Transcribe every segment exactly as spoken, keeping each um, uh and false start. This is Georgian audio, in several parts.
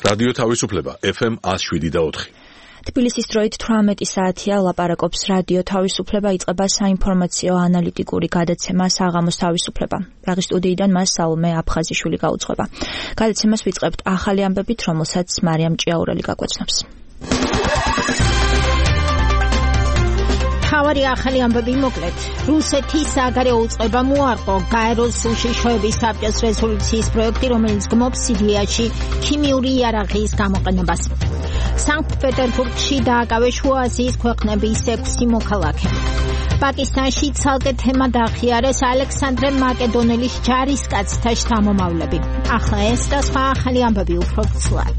რადიო თავისუფლება ეფ ემ one oh seven point four. თბილისის დროით თვრამეტი საათია ლაპარაკობს რადიო თავისუფლება, იწყება საინფორმაციო ანალიტიკური გადაცემა საღამოს თავისუფლება. პრაღის სტუდიიდან მას საულმე აფხაზიშვილი გაუძღვება. გადაცემას ვიწყებთ ახალი ამბებით, რომელსაც მარიამ ჭიაურელი გაგვეცნობს. თავარი ახალი ამბები მოკლედ. რუსეთის საგარეო უწყება მოარყო გაეროს უშიშროების საბჭოს რეზოლუციის პროექტი, რომელიც გმობს სირიაში ქიმიური იარაღის გამოყენებას. სანქტ-პეტერბურგში დააკავეს შუა აზიის ქვეყნების ექვსი მოქალაქე. პაკისტანში ცალკე თემა დაახიარეს ალექსანდრე მაკედონელის ჯარისკაცთა შთამომავლები. ახლა ეს და სხვა ახალი ამბები უფრო ცვლად.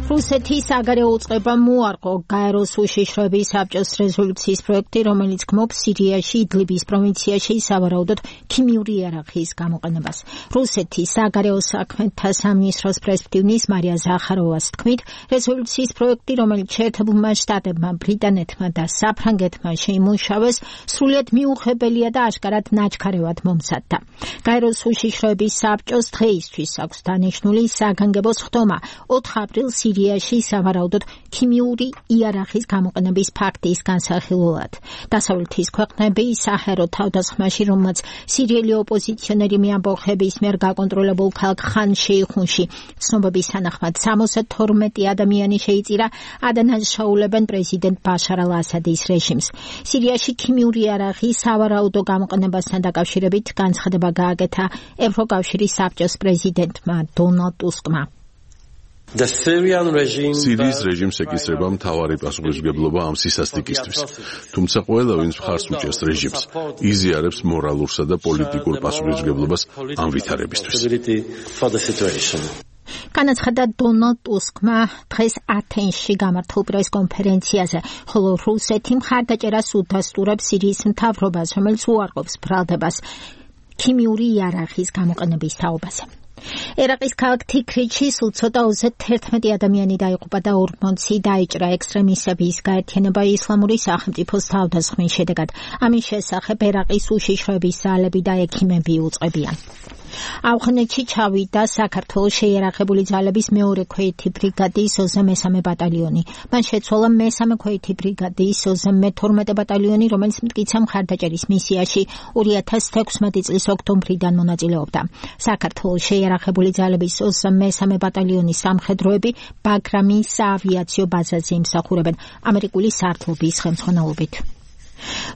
რუსეთის საგარეო უწყება მოარყო გაეროს უშიშროების საბჭოს რეზოლუციის პროექტი, რომელიც გმობს სირიაში იდლიბის პროვინციაში სავარაუდოდ ქიმიური იარაღის გამოყენებას. რუსეთის საგარეო საქმეთა სამინისტროს პრესმდივნის მარია ზახაროვას თქმით, რეზოლუციის პროექტი, რომელიც შეერთებულმა შტატებმა, ბრიტანეთმა და საფრანგეთმა შეიმუშავეს, სრულიად მიუღებელია და აშკარად ნაჩქარევად მომზადდა. გაეროს უშიშროების საბჭოს დღეისთვის აქვს დანიშნული საგანგებო სხდომა ოთხ აპრილს სირიაში სავარაუდოდ ქიმიური იარაღის გამოყენების ფაქტის განსახილველად. დასავლეთის ქვეყნები საჰერო თავდასხმაში, რომელმაც სირიელი ოპოზიციონერი მეამბოხების მიერ გაკონტროლებულ ქალაქ ხან შეიხუნში ცნობების თანახმად სამოცდათორმეტი ადამიანი შეიწირა, ადანაშაულებენ პრეზიდენტ ბაშარ ალ-ასადის რეჟიმს. სირიაში ქიმიური იარაღის სავარაუდო გამოყენებასთან დაკავშირებით განცხადება გააკეთა ევროკავშირის საბჭოს პრეზიდენტმა დონალდ ტუსკმა. სირიის რეჟიმს ეკისრება მთავარი პასუხისმგებლობა ამ სისასტიკისთვის. თუმცა ყველა, ვინც მხარს უჭერს რეჟიმს, იზიარებს მორალურსა და პოლიტიკურ პასუხისმგებლობას ამ ვითარებისთვის. განაცხადა დონალდ ტუსკმა დღეს ათენში გამართულ პრესკონფერენციაზე, ხოლო რუსეთი მხარდაჭერას უდასტურებს სირიის მთავრობას, რომელიც უარყოფს ბრალდებას ქიმიური იარაღის გამოყენების თაობაზე. ერაყის ქალაქ თიქრიჩში სულ ცოტა ოცდაერთმეტი ადამიანი დაიღუპა და ორმოცი დაიჭრა ექსტრემისტების გაერთიანება ისლამური სახელმწიფოს თავდასხმის შედეგად. ამის შესახებ ერაყის უშიშროების ძალები და ექიმები უწყებიან. ავღანეთში ჩავიდა საქართველოს შეიარაღებული ძალების მეორე ქვეითი ბრიგადის ოცდა მესამე ბატალიონი. მან შეცვალა მესამე ქვეითი ბრიგადის ოცდა მეთორმეტე ბატალიონი, რომელიც მტკიცე მხარდაჭერის მისიაში ორი ათას თექვსმეტი წლის ოქტომბრიდან მონაწილეობდა. საქართველოს შეიარაღებული ძალების ოცდა მესამე ბატალიონის სამხედროები ბაგრამის საავიაციო ბაზაზე იმსახურებენ ამერიკული სარდლობის ხელმძღვანელობით.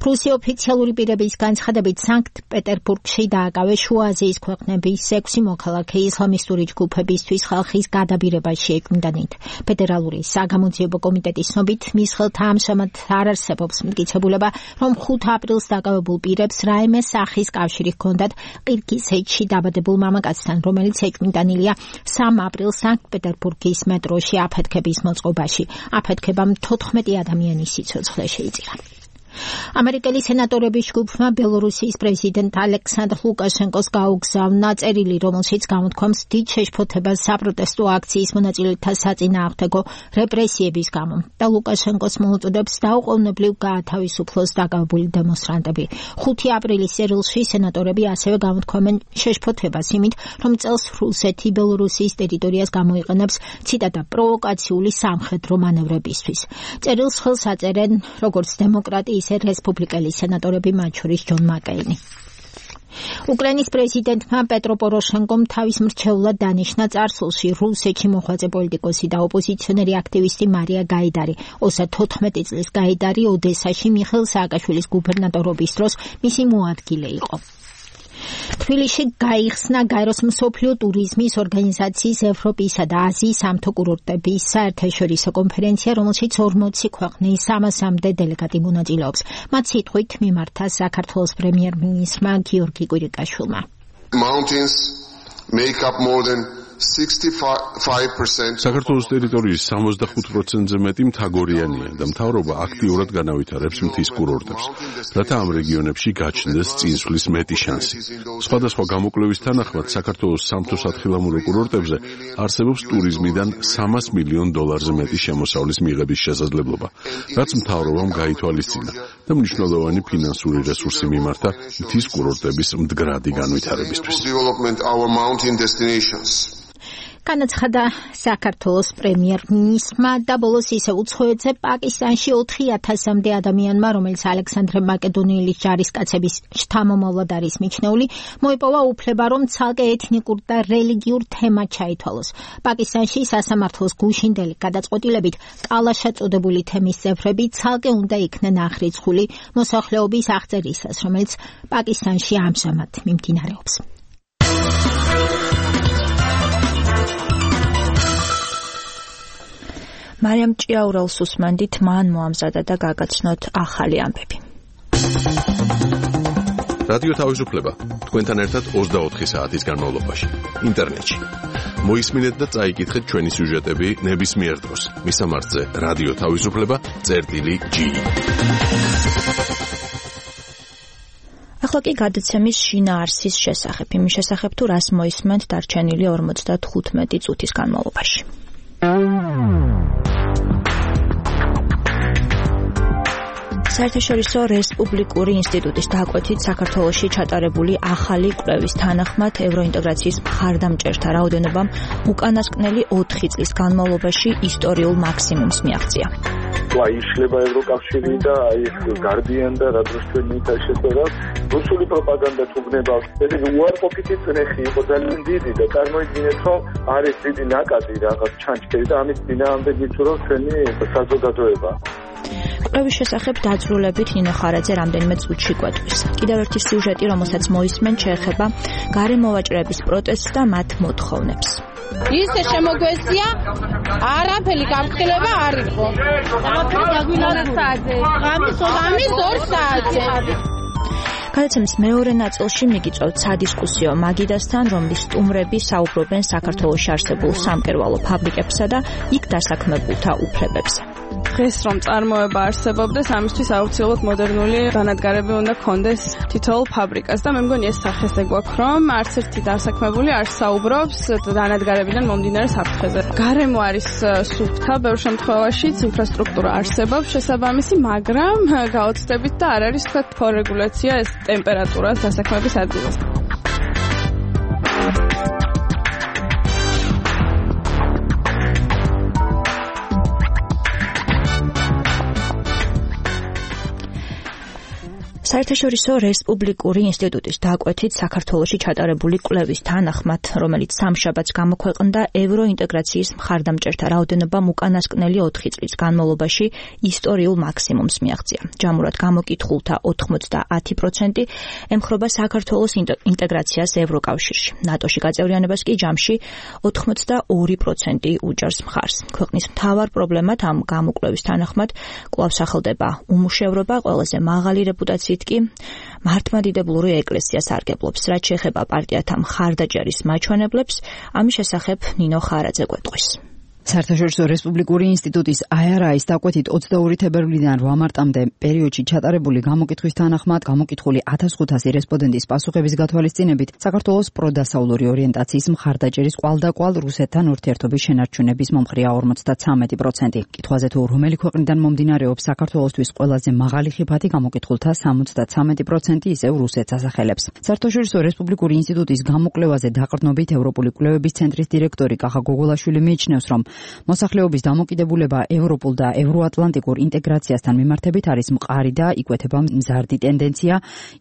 რუსი ოფიციალური პირების განცხადებით სანქტ-პეტერბურგში დააკავეს შუა აზიის ქვეყნების ექვსი მოქალაქე ისლამისტური ჯგუფებისთვის ხალხის გადაბირებას შეეკვინდანით. ფედერალური საგამოძიებო კომიტეტის ცნობით, მის ხელთ ამჟამად არ არსებობს მტკიცებულება, რომ ხუთ აპრილს დაკავებულ პირებს რაიმე სახის კავშირი ჰქონდათ ყირგიზეთში დაბადებულ მამაკაცთან, რომელიც ეკვინდანილია სამ აპრილს სანქტ-პეტერბურგის მეტროში აფეთქების მოწყობაში. აფეთქებამ თოთხმეტი ადამიანის სიცოცხლე შეიწირა. ამერიკელი სენატორების ჯგუფმა ბელორუსიის პრეზიდენტ ალექსანდრ ლუკაშენკოს გაუგზავნა წერილი, რომელშიც გამოთქვამს დიდ შეშფოთებას საპროტესტო აქციის მონაწილეთა საწინააღმდეგო რეპრესიების გამო და ლუკაშენკოს მოუწოდებს დაუყოვნებლივ გაათავისუფლოს დაკავებული დემონსტრანტები. ხუთი აპრილის წერილში სენატორები ასევე გამოთქვამენ შეშფოთებას იმით, რომ წელს რუსეთი ბელორუსიის ტერიტორიას გამოიყენებს ციტატა პროვოკაციული სამხედრო მანევრებისთვის. წერილს ხელს აწერენ როგორც დემოკრატი ისე რესპუბლიკელი სენატორები, მათ შორის ჯონ მაკეინი. უკრაინის პრეზიდენტმა პეტრო პოროშენკომ თავის მრჩევლად დანიშნა წარსულში რუსეთში მოღვაწე პოლიტიკოსი და ოპოზიციონერი აქტივისტი მარია გაიდარი. ოცდათოთხმეტი წლის გაიდარი ოდესაში მიხეილ სააკაშვილის გუბერნატორობის დროს მისი მოადგილე იყო. თბილისში გაიხსნა გაეროს მსოფლიო ტურიზმის ორგანიზაციის ევროპისა და აზიის სამთო-კურორტების საერთაშორისო კონფერენცია, რომელშიც ორმოცი ქვეყნის სამასამდე დელეგატი მონაწილეობს. მათ სიტყვით მიმართა საქართველოს პრემიერ-მინისტრმა გიორგი კვირიკაშვილმა. Mountains make up more than საქართველოს ტერიტორიის სამოცდახუთ პროცენტზე მეტი მთაგორიანია და მთავრობა აქტიურად განავითარებს მთის კურორტებს, რათა ამ რეგიონებში გაჩნდეს წინსვლის მეტი შანსი. სხვადასხვა გამოკვლევის თანახმად საქართველოს სამთო-სათხილამურო კურორტებზე არსებობს ტურიზმიდან სამას მილიონ დოლარზე მეტი შემოსავლის მიღების შესაძლებლობა, რაც მთავრობამ გაითვალისწინა და მნიშვნელოვანი ფინანსური რესურსი მიმართა მთის კურორტების მდგრადი განვითარებისთვის. განაცხადა საქართველოს პრემიერ-მინისტრმა და ბოლოს ისე უცხოეთზე პაკისტანში ოთხი ათასამდე ადამიანმა, რომელიც ალექსანდრე მაკედონელის ჯარისკაცების შთამომავლად არის მიჩნეული, მოიპოვა უფლება, რომ ცალკე ეთნიკურ და რელიგიურ თემად ჩაითვალოს. პაკისტანში სასამართლოს გუშინდელი გადაწყვეტილებით კალაშა წოდებული თემის წევრები ცალკე უნდა იქნენ აღრიცხული მოსახლეობის აღწერისას, რომელიც პაკისტანში ამჟამად მიმდინარეობს. მარიამ ჭიაურელს უსმენდით, მან მოამზადა და გაგაცნოთ ახალი ამბები. რადიო თავისუფლება თქვენთან ერთად ოცდაოთხი საათის განმავლობაში ინტერნეტში. მოისმინეთ და წაიკითხეთ ჩვენი სიუჟეტები ნებისმიერ დროს. მისამართზე რადიო თავისუფლება წერტილი ჯი. ახლა კი გადაცემის შინაარსის შესახებ, იმის შესახებ თუ რას მოისმენთ დარჩენილი ორმოცდათხუთმეტი წუთის განმავლობაში. საერთაშორისო რესპუბლიკური ინსტიტუტის დაკვეთით საქართველოში ჩატარებული ახალი კვლევის თანახმად ევროინტეგრაციის მხარდამჭერთა რაოდენობამ უკანასკნელი ოთხი წლის განმავლობაში ისტორიულ მაქსიმუმს მიაღწია. აი იშლება ევროკავშირი და აი გარდიან და რა დროს ჩვენ მითაშეწორა რუსული პროპაგანდა თუგნებავს. ეს უარყოფითი წნეხი იყო ძალიან დიდი და წარმოიდგინეთ რომ არის დიდი ნაკადი რაღაც ჩანჩქერი და ამის წინააღმდეგ ვიწურავ ჩვენი საზოგადოება. კვლევის შესახებ დაძრულებით ნინო ხარაძე რამდენიმე წუთში გვეტყვის. კიდევ ერთი სიუჟეტი, რომელსაც მოისმენთ, შეეხება გარემოვაჭრების პროტესტს და მათ მოთხოვნებს. ისე შემოგვესია, არაფერი გამხილება არ იყო. ღამის ორ საათზე. გადაცემის მეორე ნაწილში მიგიწევთ სადისკუსიო მაგიდასთან, რომლის სტუმრები საუბრობენ საქართველოში არსებულ სამკერვალო ფაბრიკებსა და იქ დასაქმებულთა უფლებებზე. დღეს რომ წარმოება არსებობდეს, ამისთვის აუცილებლად მოდერნული დანადგარები უნდა კონდეს თითოეულ ფაბრიკას და მე მგონი ეს სახესე გვაქვს, რომ არც ერთი დასაქმებული არ საუბრობს დანადგარებიდან მომდინარე საფრთხეზე. გარემო არის სუფთა, ბევრ შემთხვევაშიც ინფრასტრუქტურა არსებობს შესაბამისი, მაგრამ გაოცდებით და არ არის თქვა თორეგულაცია ეს ტემპერატურას დასაქმების ადგილას. საერთაშორისო რესპუბლიკური ინსტიტუტის დაკვეთით საქართველოში ჩატარებული კვლევის თანახმად, რომელიც სამშაბათს გამოქვეყნდა, ევროინტეგრაციის მხარდამჭერთა რაოდენობამ უკანასკნელი ოთხი წლის განმავლობაში ისტორიულ მაქსიმუმს მიაღწია. ჯამურად გამოკითხულთა ოთხმოცდაათი პროცენტი ემხრობა საქართველოს ინტეგრაციას ევროკავშირში. ნატოში გაწევრიანებას კი ჯამში ოთხმოცდაორი პროცენტი უჭერს მხარს. ქვეყნის მთავარ პრობლემად ამ გამოკვლევის თანახმად კვლავ სახელდება უმუშევრობა, ყველაზე მაღალი რეპუტაციით კი მართლმადიდებლური ეკლესია სარგებლობს, რაც შეეხება პარტიათა მხარდაჭერის მაჩვენებლებს, ამის შესახებ ნინო ხარაძე გვეტყვის. საერთაშორისო რესპუბლიკური ინსტიტუტის აი არ აის დაკვეთით ოცდაორი თებერვლიდან რვა მარტამდე პერიოდში ჩატარებული გამოკითხვის თანახმად გამოკითხული ათას ხუთასი რესპონდენტის პასუხების გათვალისწინებით საქართველოს პროდასავლური ორიენტაციის მხარდაჭერის კვალდაკვალ რუსეთთან ურთიერთობის შენარჩუნების მომხრეა ორმოცდაცამეტი პროცენტი. კითხვაზე თუ რომელი ქვეყნიდან მომდინარეობს საქართველოსთვის ყველაზე მაღალი ხიფათი გამოკითხულთა სამოცდაცამეტი პროცენტი ისევ რუსეთს ასახელებს. საერთაშორისო რესპუბლიკური ინსტიტუტის გამოკვლევაზე დაყრდნობით ევროპული კვლევების ცენტრის დირექტორი კახა გოგოლაშვილი მიიჩნევს, რომ მოსახლეობის დამოკიდებულება ევროპულ და ევროატლანტიკურ ინტეგრაციასთან მიმართებით არის მყარი და იკვეთება მზარდი ტენდენცია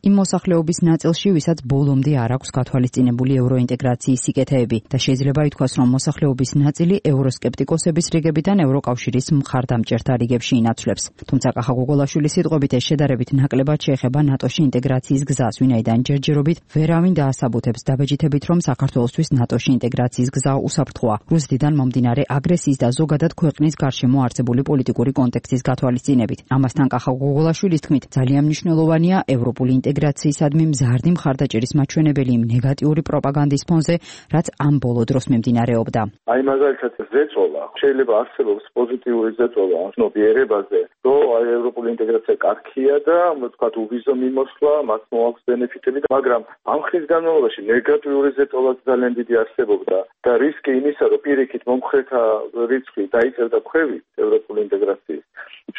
იმ მოსახლეობის ნაწილში, ვისაც ბოლომდე არ აქვს გათვალისწინებული ევროინტეგრაციის სიკეთეები და შეიძლება ითქვას, რომ მოსახლეობის ნაწილი ევროსკეპტიკოსების რიგებიდან ევროკავშირის მხარდამჭერთა რიგებში ინაცვლებს. თუმცა კახა გოგოლაშვილის სიტყვებით ეს შედარებით ნაკლებად შეეხება ნატოში ინტეგრაციის გზას, ვინაიდან ჯერჯერობით ვერავინ დაასაბუთებს დაბეჯითებით, რომ საქართველოსთვის ნატოში ინტეგრაციის გზა უსაფრთხოა. რუსეთიდან მომდინარე აგრესიის და ზოგადად ქვეყნის გარშემო არსებული პოლიტიკური კონტექსტის გათვალისწინებით. ამასთან კახა გოგოლაშვილის თქმით, ძალიან მნიშვნელოვანია ევროპული ინტეგრაციისადმი მზარდი მხარდაჭერის მაჩვენებელი იმ ნეგატიური პროპაგანდის ფონზე, რაც ამ ბოლო დროს მიმდინარეობდა. აი მაგალითად ზეწოლა, შეიძლება არსებობს პოზიტიური ზეწოლა ნობიერებაზე, რომ აი ევროპული ინტეგრაცია კარგია და თქვათ უვიზო მიმოსვლა, მათ მოაქვს ბენეფიტები, მაგრამ ამ ხნის განმავლობაში ნეგატიური ზეწოლაც ძალიან დიდი არსებობდა და რისკი იმისა, რომ პირიქით მომხრეთა რიცხვი დაიწერდა ქვევით ევროპული ინტეგრაციის.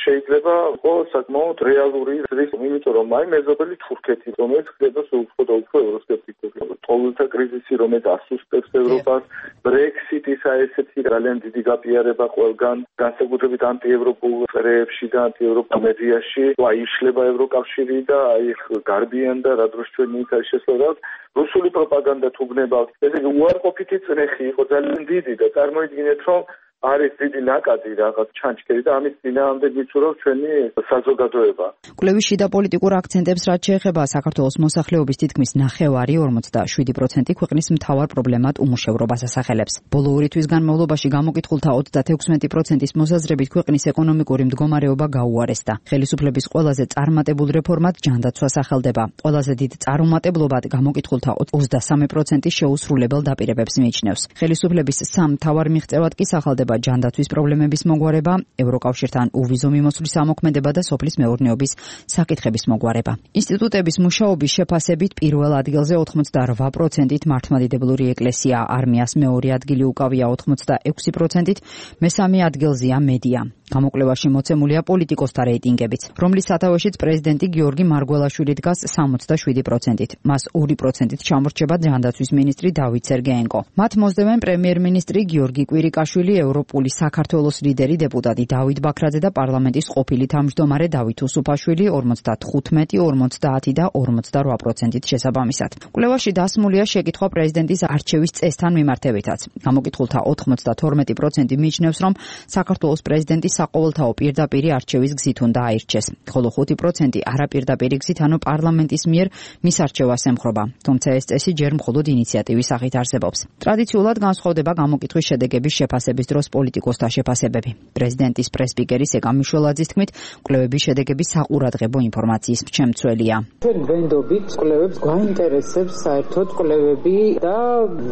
შეიძლება იყოს საკმაოდ რეალური რისკი, იმიტომ რომ აი მეზობელი თურქეთი, რომელიც ხდება უფრო და უფრო ევროსკეპტიკული, ყოველთა კრიზისი, რომელიც ასუსტებს ევროპას, ბრექსიტის აი ესეთი ძალიან დიდი გაპიარება ყველგან, განსაკუთრებით ანტიევროპულ წრეებში და ანტიევროპა მედიაში, აი იშლება ევროკავშირი და აი გარბიან და რა დროს ჩვენ მითარ შესაძლოა რუსული პროპაგანდა თუ გნებავთ, ესე იგი უარყოფითი წნეხი იყო ძალიან დიდი და წარმოიდგინეთ, რომ არის დიდი ნაკადი რაღაც ჩანჩქერი და ამის წინააღმდეგ ვიწურავ ჩვენი საზოგადოება. კვლევის შიდა პოლიტიკურ აქცენტებს რაც შეეხება საქართველოს მოსახლეობის თითქმის ნახევარი ორმოცდაშვიდი პროცენტი ქვეყნის მთავარ პრობლემად უმუშევრობას ასახელებს. ბოლო ორი თვის განმავლობაში გამოკითხულთა ოცდათექვსმეტი პროცენტის მოსაზრებით ქვეყნის ეკონომიკური მდგომარეობა გაუარესდა. ხელისუფლების ყველაზე წარმატებულ რეფორმად ჯანდაცვას ახელდება. ყველაზე დიდ წარუმატებლობად გამოკითხულთა ოცდასამი პროცენტი შეუსრულებელ დაპირებებს მიიჩნევს. ხელისუფლების სამ მთავარ მიღწევად კი სახელდება ჯანდაცვის პრობლემების მოგვარება, ევროკავშირთან უვიზო მიმოსვლის ამოქმედება და სოფლის მეურნეობის საკითხების მოგვარება. ინსტიტუტების მუშაობის შეფასებით პირველ ადგილზე ოცდაოთხ პროცენტით მართლმადიდებლური ეკლესია, არმიას მეორე ადგილი უკავია ოცდაექვსი პროცენტით, მესამე ადგილზეა მედია. გამოკვლევაში მოცემულია პოლიტიკოსთა რეიტინგებიც, რომლის სათავეშიც პრეზიდენტი გიორგი მარგველაშვილი დგას სამოცდაშვიდი პროცენტით. მას ორი პროცენტით ჩამორჩება ჯანდაცვის მინისტრი დავით სერგეენკო. მათ მოსდევენ პრემიერ-მინისტრი გიორგი კვირიკაშვილი, ევროპული საქართველოს ლიდერი დეპუტატი დავით ბაქრაძე და პარლამენტის ყოფილი თავმჯდომარე დავით უსუფაშვილი ორმოცდათხუთმეტი, ორმოცდაათი და ორმოცდარვა პროცენტით შესაბამისად. კვლევაში დასმულია შეკითხვა პრეზიდენტის არჩევის წესთან მიმართებითაც. გამოკითხულთა ოცდათორმეტი პროცენტი მიიჩნევს, რომ საქართველოს პრეზიდენტი საყოველთაო პირდაპირი არჩევის გზით უნდა აირჩეს, ხოლო ხუთი პროცენტი არაპირდაპირი გზით, ანუ პარლამენტის მიერ მის არჩევას ემხრობა. თუმცა ეს წესი ჯერ მხოლოდ ინიციატივის სახით არსებობს. ტრადიციულად განსხვავდება გამოკითხვის შედეგების შეფასების დროს პოლიტიკოსთა შეფასებები. პრეზიდენტის პრესპიკერი სეგა მიშველაძის თქმით, კვლევების შედეგები საყურადღებო ინფორმაციის მრჩეველი. ჩვენ ვენდობით კვლევებს გვაინტერესებს საერთოდ კვლევები და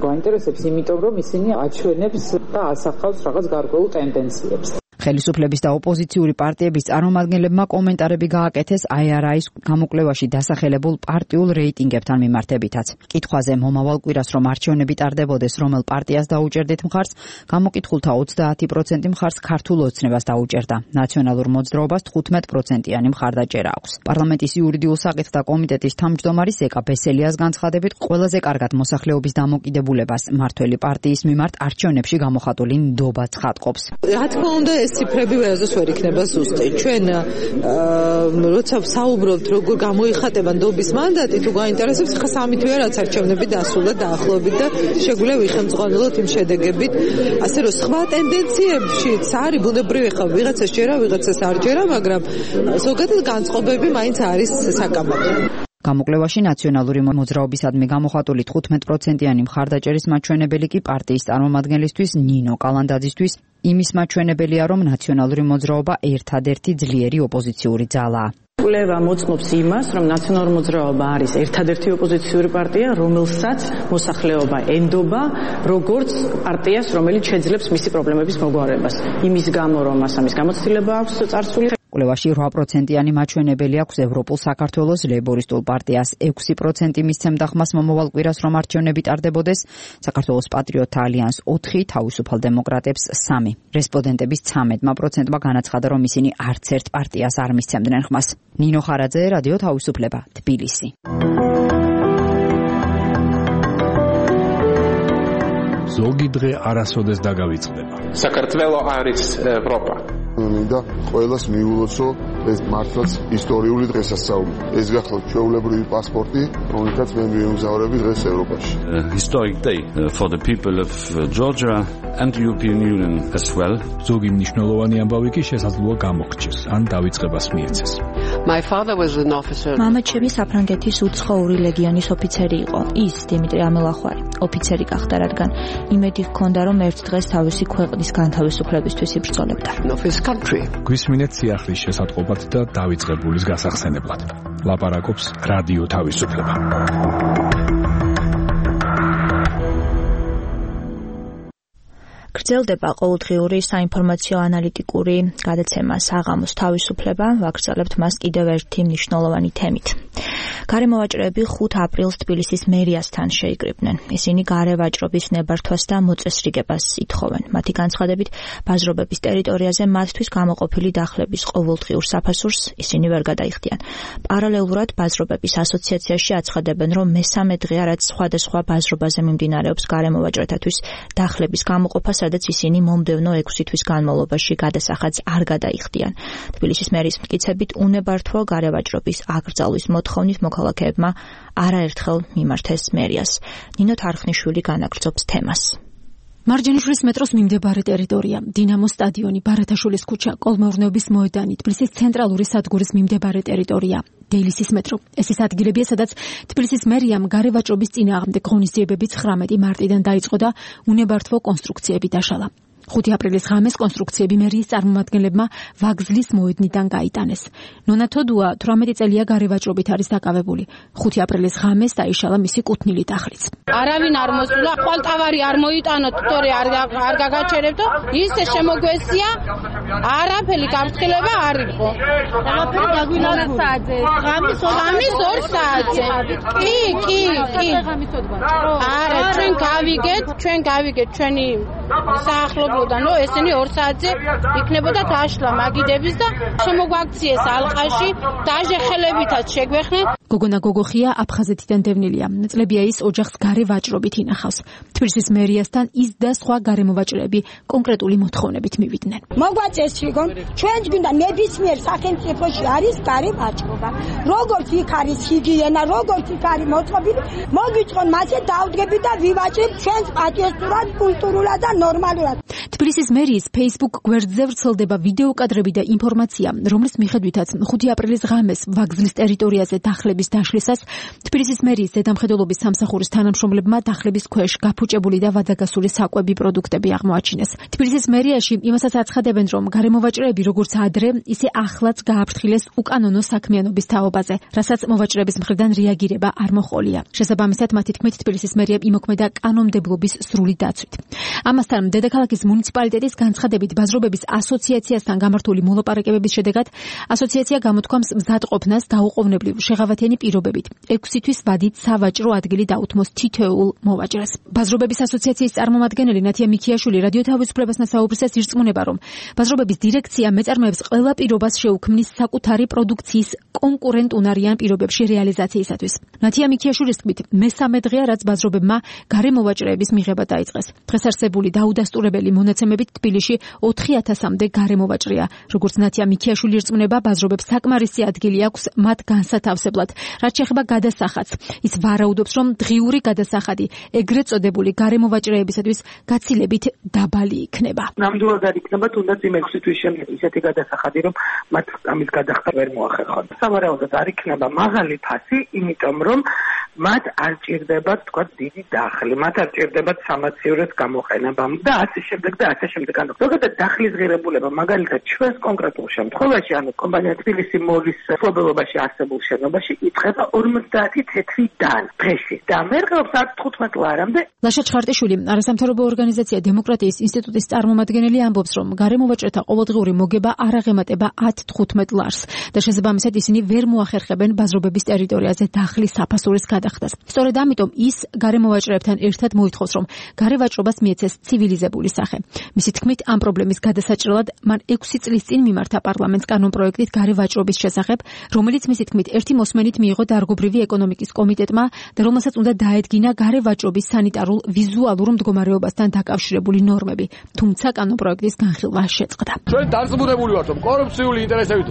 გვაინტერესებს იმიტომ, რომ ისინი აჩვენებს და ასახავს რაღაც გარკვეულ ტენდენციებს. ხელისუფლების და ოპოზიციური პარტიების წარმომადგენლებმა კომენტარები გააკეთეს აი არ არის გამოკვლევაში დასახელებულ პარტიულ რეიტინგებთან მიმართებითაც. კითხვაზე მომავალ კვირას რომ არჩევნები ტარდებოდეს, რომელ პარტიას დაუჭერდით მხარს, გამოკითხულთა ოცდაათი პროცენტი მხარს ქართულ ოცნებას დაუჭერდა. ნაციონალურ მოძრაობას თხუთმეტი პროცენტიანი მხარდაჭერა აქვს. პარლამენტის იურიდიულ საკითხთა კომიტეტის თავმჯდომარი სეკა ბესელიას განცხადებით, ყველაზე კარგად მოსახლეობის დამოკიდებულებას მართველი პარტიის მიმართ არჩევნებში გამოხატული ნდობა ცხადყოფს. რა თქმა უნდა, ციფრები ვერასდროს ვერ იქნება ზუსტი. ჩვენ როცა საუბრობთ როგორ გამოიხატება ნდობის მანდატი, თუ გაინტერესებს, ხა სამი თვეა რაც არჩევნები დასრულდა დაახლოებით და შეგვიძლია ვიხელმძღვანელოთ იმ შედეგებით. ასე რომ სხვა ტენდენციებშიც არის ბუნებრივი ხა ვიღაცა შეერა, ვიღაცას არ ჯერა, მაგრამ ზოგადად განწყობები მაინც არის საკამათო. გამოკვლევაში ნაციონალური მოძრაობისადმი გამოხატული თხუთმეტი პროცენტიანი მხარდაჭერის მაჩვენებელი კი პარტიის წარმომადგენლისთვის ნინო კალანდაძისთვის იმის მაჩვენებელია, რომ ნაციონალური მოძრაობა ერთადერთი ძლიერი ოპოზიციური ძალაა. კვლევა მოწმობს იმას, რომ ნაციონალური მოძრაობა არის ერთადერთი ოპოზიციური პარტია, რომელსაც მოსახლეობა ენდობა, როგორც პარტიას, რომელიც შეძლებს მისი პრობლემების მოგვარებას. იმის გამო, რომ მას ამის გამოცდილება აქვს წარსული. კვლევაში რვა პროცენტიანი მაჩვენებელი აქვს ევროპულ საქართველოს ლეიბორისტულ პარტიას, ექვსი პროცენტი მისცემდა ხმას მომავალ კვირას რომ არჩევნები ტარდებოდეს, საქართველოს პატრიოტთა ალიანს ოთხი, თავისუფალ დემოკრატებს სამი. რესპონდენტების ცამეტმა პროცენტმა განაცხადა, რომ ისინი არც ერთ პარტიას არ მისცემდნენ ხმას. ნინო ხარაძე, რადიო თავისუფლება, თბილისი. ზოგი დღე არასოდეს დაგავიწყდება. საქართველო არის ევროპა. მინდა ყველას მიულოცო ეს მართლაც ისტორიული დღესასწაული. ეს გახლავთ ჩვეულებრივი პასპორტი, რომელთაც მე მივიმგზავრები დღეს ევროპაში. Historic day for the people of Georgia and the European Union as well. ზოგი მნიშვნელოვანი ამბავი კი შესაძლოა გამოგრჩეს, ან დავიწყებას მიეცეს. My father was an officer. მამაჩემი საფრანგეთის უცხოური ლეგიონის ოფიცერი იყო. ის დიმიტრი ამელახვარი ოფიცერი გახდა, რადგან იმედი ჰქონდა, რომ ერთ დღეს თავისი ქვეყნის განთავისუფლებისთვის იბრძოლებდა. გვისმინეთ სიახლის შესატყობად და დავიწყებულის გასახსენებლად. ლაპარაკობს რადიო თავისუფლება. გრძელდება ყოველდღიური საინფორმაციო ანალიტიკური გადაცემა საღამოს თავისუფლება. ვაგრძელებთ მას კიდევ ერთი მნიშვნელოვანი თემით. გარემოვაჭრეები ხუთ აპრილს თბილისის მერიასთან შეიკრიბნენ. ისინი გარე ვაჭრობის ნებართვას და მოწესრიგებას ითხოვენ. მათი განცხადებით, ბაზრობების ტერიტორიაზე მათთვის გამოყოფილი დახლების ყოველდღიურ საფასურს ისინი ვერ გადაიხდიან. პარალელურად ბაზრობების ასოციაციაში აცხადებენ, რომ მესამე დღეა, რაც სხვადასხვა ბაზრობაზე მიმდინარეობს გარემოვაჭრეთათვის დახლების გამოყოფა, სადაც ისინი მომდევნო ექვსი თვის განმავლობაში გადასახადს არ გადაიხდიან. თბილისის მერის მტკიცებით, უნებართვო გარევაჭრობის აკრძალვის მოთხოვნით მოქალაქეებმა არაერთხელ მიმართეს მერიას. ნინო თარხნიშვილი განაგრძობს თემას. მარჯანიშვილის მეტროს მიმდებარე ტერიტორია, დინამო სტადიონი, ბარათაშვილის ქუჩა, კოლმეურნეობის მოედანი, თბილისის ცენტრალური სადგურის მიმდებარე ტერიტორია, დეილისის მეტრო. ეს ის ადგილებია, სადაც თბილისის მერიამ გარევაჭრობის წინააღმდეგ ღონისძიებები ცხრამეტი მარტიდან დაიწყო და უნებართვო კონსტრუქციები დაშალა. ხუთი აპრილის ღამეს კონსტრუქციები მერიის წარმომადგენლებმა ვაგზლის მოედნიდან გაიტანეს. ნონა თოდუა თვრამეტი წელია გარევაჭრობით არის დაკავებული. ხუთი აპრილის ღამეს დაიშალა მისი კუთვნილი დახლიც. არავინ არ მოსულა, ხვალტავარი არ მოიტანოთ, თორე არ არ გაგაჩერებდო, ისე შემოგვესია, არაფერი გაფრთხილება არ იყო. ყველაფერი დაგვინახული საათზე. ღამის ორ საათზე. კი, კი, კი. არა, ჩვენ გავიგეთ, ჩვენ გავიგეთ ჩვენი საახლობლოდან, რომ ესენი ორ საათზე იქნებოდა დაშლა მაგიდების და შემოგვაქციეს ალყაში, დაჟე ხელებითაც შეგვეხნენ. გოგონა გოგოხია აფხაზეთიდან დევნილია. წლებია ის ოჯახს გარე ვაჭრობით ინახავს. თბილისის მერიასთან ის და სხვა გარემოვაჭრეები კონკრეტული მოთხოვნებით მივიდნენ. მოგვაწეს შეგონ, ჩვენც გვინდა ნებისმიერ სახელმწიფოში არის გარე ვაჭრობა. როგორც იქ არის ჰიგიენა, როგორც იქ არის მოწყობილი, მოგვიწყონ მასე დავდგებით და ვივაჭრებთ ჩვენს პატიოსურად, კულტურულად და ნორმალურად. თბილისის მერიის Facebook გვერდზე ვრცელდება ვიდეო კადრები და ინფორმაცია, რომლის მიხედვითაც ხუთი აპრილის ღამეს ვაგზლის ტერიტორიაზე დახლების დაშლისას თბილისის მერიის ზედამხედველობის სამსახურის თანამშრომლებმა დახლების ქვეშ გაფუჭებული და ვადაგასული საკვები პროდუქტები აღმოაჩინეს. თბილისის მერიაში იმასაც აცხადებენ, რომ გარემოვაჭრეები როგორც ადრე, ისე ახლაც გააფრთხილეს უკანონო საქმიანობის თაობაზე, რასაც მოვაჭრეების მხრიდან რეაგირება არ მოჰყოლია. შესაბამისად, მათი თქმით, თბილისის მერიამ იმოქმედა კანონმდებლობის სრული დაცვით. ამასთან, დედაქალაქის მუნიციპალიტეტის განცხადებით ბაზრობების ასოციაციასთან გამართული მოლაპარაკებების შედეგად ასოციაცია გამოთქვამს მზადყოფნას დაუყოვნებლივ შეღავათიანი პირობებით ექვსი თვის ვადით სავაჭრო ადგილი დაუთმოს თითოეულ მოვაჭრეს. ბაზრობების ასოციაციის წარმომადგენელი ნათია მიქიაშვილი რადიო თავისუფლებასთან საუბრისას ირწმუნება, რომ ბაზრობების დირექცია მეწარმეებს ყველა პირობას შეუქმნის საკუთარი პროდუქციის კონკურენტუნარიან პირობებში რეალიზაციისათვის. ნათია მიქიაშვილის თქმით, მესამე დღეა, რაც ბაზრობებმა გარემოვაჭრეების მიღება დაიწყეს. დღეს არსებული დაუდასტურებელი მონაცემებით თბილისში ოთხი ათასამდე გარემოვაჭრეა. როგორც ნათია მიქიაშვილი ირწმუნება, ბაზრობებს საკმარისი ადგილი აქვს მათ განსათავსებლად. რაც შეეხება გადასახადს, ის ვარაუდობს, რომ დღიური გადასახადი ეგრეთ წოდებული გარემოვაჭრეებისათვის გაცილებით დაბალი იქნება. ნამდვილად არ იქნება, თუნდაც იმ ექვსი თვის შემდეგ ისეთი გადასახადი, რომ მათ ამის გადახდა ვერ მოახერხონ. სავარაუდოდ არ იქნება მაღალი ფასი, იმიტომ რომ მათ არ ჭირდებათ, თქვა, დიდი დახლი, მათ არ ჭირდებათ სამაციურეს გამოყენება და ასე შემდეგ და ასე შემდეგ. ანუ ზოგადად დახლის ღირებულება, მაგალითად ჩვენს კონკრეტულ შემთხვევაში, ანუ კომპანია თბილისი მოლის მფლობელობაში არსებულ შენობაში იწყება ორმოცდაათი თეთრი დან დღეში და მერყეობს არც თხუთმეტ ლარამდე. ლაშა ჩხარტიშვილი, არასამთავრობო ორგანიზაცია დემოკრატიის ინსტიტუტის წარმომადგენელი ამბობს, რომ გარემოვაჭრეთა ყოველდღიური მოგება არ აღემატება ათ თხუთმეტ ლარს და შესაბამისად ისინი ვერ მოახერხებენ ბაზრობების ტერიტორიაზე დახლის საფასურის გადახდას. სწორედ ამიტომ ის გარემოვაჭრეებთან ერთად მოითხოვს, რომ გარევაჭრობას მიეცეს ცივილიზებული სახე. მისი თქმით, ამ პრობლემის გადასაჭრელად მან ექვსი წლის წინ მიმართა პარლამენტს კანონპროექტით გარევაჭრობის შესახებ, რომელიც მისი თქმით ერთი მოსმენით მიიღო დარგობრივი ეკონომიკის კომიტეტმა და რომელსაც უნდა დაედგინა გარევაჭრობის სანიტარულ ვიზუალურ მდგომარეობასთან დაკავშირებული ნორმები. თუმცა კანონპროექტის განხილვა შეწყდა. ჩვენ დარწმუნებული ვართ, რომ კორუფციული ინტერესებით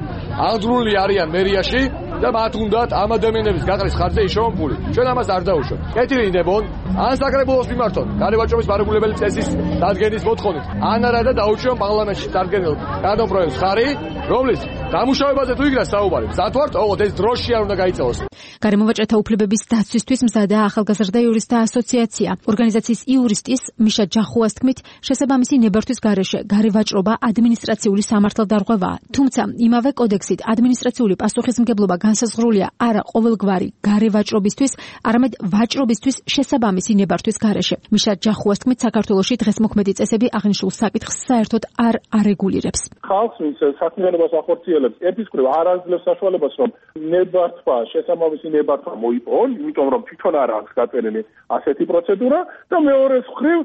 აღძრული არიან მერიაში და მათ უნდათ ამ ადამიანების გაყრის ხარჯზე იშოვონ ფული. ჩვენ ამას არ დაუშვებთ. კეთილინდებონ, ან საკრებულოს მიმართონ გარევაჭრობის მარეგულებელი წესის დადგენის მოთხოვნით, ან არა და დაუშვონ პარლამენტში დადგენილ კანონპროექტს ხარი, რომლის დამუშავებაზე თუ იქნა საუბარი, მზად ვართ, ოღონდ ეს დროში არ უნდა გაიწევოს. გარემოვაჭრეთა უფლებების დაცვისთვის მზადაა ახალგაზრდა იურისტთა ასოციაცია. ორგანიზაციის იურისტის მიშა ჯახუას თქმით, შესაბამისი ნებართვის გარეშე გარევაჭრობა ადმინისტრაციული სამართალდარღვევაა. თუმცა იმავე კოდექსით ადმინისტრაციული პასუხისმგებლობა განსაზღვრულია არა ყოველგვარი გარევაჭრობისთვის, არამედ ვაჭრობისთვის შესაბამისი ნებართვის გარეშე. მიშა ჯახუას თქმით, საქართველოში დღეს მოქმედი წესები აღნიშნულ საკითხს საერთოდ არ არეგულირებს. ხალხს ვინც საქმიანობას ახორციელებს, ერთის მხრივ არ აძლევს საშუალებას, რომ ნებართვა, შესაბამისი ნებართვა მოიპოვონ, იმიტომ რომ თვითონ არ აქვს გაწერილი ასეთი პროცედურა და მეორეს მხრივ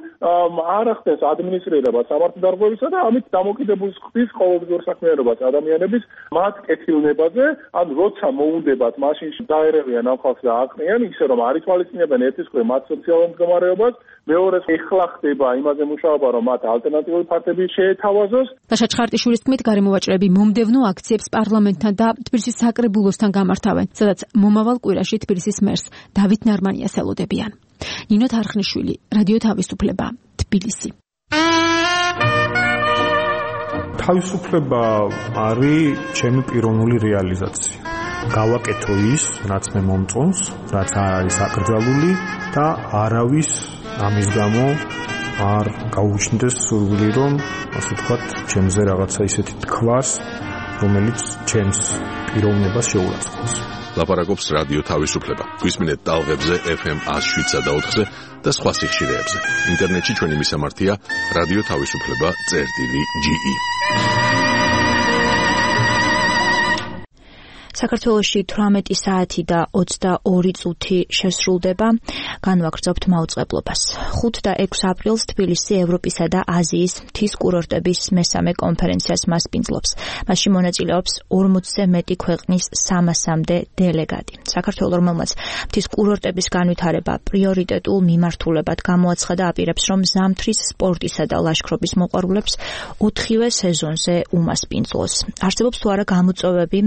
არ ახდენს ადმინისტრირება სამართალდარღვევისა და ამით დამოკიდებულს ხდის ყოველდღიურ საქმიანობას ადამიანების მათ კეთილნებაზე, ან როცა მოუნდებათ მაშინ დაერევიან ამ ხალხს და აყრიან, ისე რომ არ ითვალისწინებენ ერთის მხრივ მათ სოციალურ მდგომარეობას, მეორეს ეხლა ხდება იმაზე მუშაობა, რომ მათ ალტერნატიული ფაქტები შეეთავაზოს. დაშა ჩხარტიშვილის თქმით, გარემოვაჭრეები მომდევნო აქციებს პარლამენტთან და თბილისის საკრებულოსთან გამართავენ, სადაც მომავალ კვირაში თბილისის მერს დავით ნარმანიას ელოდებიან. ნინო თარხნიშვილი, რადიო თავისუფლება, თბილისი. თავისუფლება არის ჩემი პიროვნული რეალიზაცია. გავაკეთო ის, რაც მე მომწონს, რაც არ არის აკრძალული და არავის ამის გამო არ გაუჩნდეს სურვილი, რომ ასე ვთქვათ, ჩემზე რაღაცა ისეთი თქვას, რომელიც ჩემს პიროვნებას შეურაცხყოფს. ლაპარაკობს რადიო თავისუფლება. გვისმინეთ ტალღებზე ეფ ემ one oh seven და ოთხზე და სხვა სიხშირეებზე. ინტერნეტში ჩვენი მისამართია რადიო თავისუფლება წერტილი ჯი ი. საქართველოში თვრამეტი საათი და ოცდაორი წუთი შესრულდება. განვაგრძობთ მაუწყებლობას. ხუთ და ექვსი აპრილს თბილისი ევროპისა და აზიის მთის კურორტების მესამე კონფერენციას მასპინძლობს. მასში მონაწილეობს ორმოცზე მეტი ქვეყნის სამასამდე დელეგატი. საქართველოს რომელმაც მთის კურორტების განვითარება პრიორიტეტულ მიმართულებად გამოაცხადა, აპირებს, რომ ზამთრის სპორტისა და ლაშქრობის მოყვარულებს ოთხივე სეზონზე უმასპინძლოს. არსებობს თუ არა გამოწვევები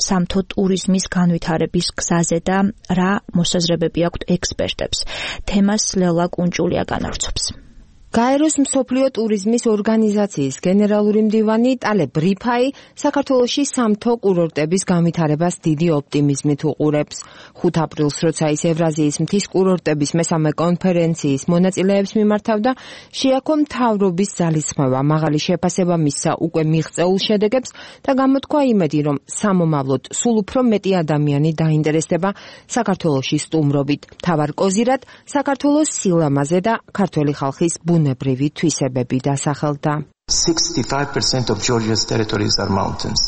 სამთო ტურიზმის განვითარების გზაზე და რა მოსაზრებები აქვთ ექსპერტებს. თემას ლელა კუნჭულია განავრცობს. გაეროს მსოფლიო ტურიზმის ორგანიზაციის გენერალური მდივანი ტალე ბრიფაი საქართველოში სამთო კურორტების განვითარებას დიდი ოპტიმიზმით უყურებს. ხუთ აპრილს, როცა ის ევრაზიის მთის კურორტების მესამე კონფერენციის მონაწილეებს მიმართავდა, შეაქო მთავრობის ძალისხმევა, მაღალი შეფასება მისცა უკვე მიღწეულ შედეგებს და გამოთქვა იმედი, რომ სამომავლოდ სულ უფრო მეტი ადამიანი დაინტერესდება საქართველოში სტუმრობით. მთავარ კოზირად საქართველოს სილამაზე და ქართველი ხალხის ბუნებრივი თვისებები დასახელდა. sixty-five percent of Georgia's territories are mountains.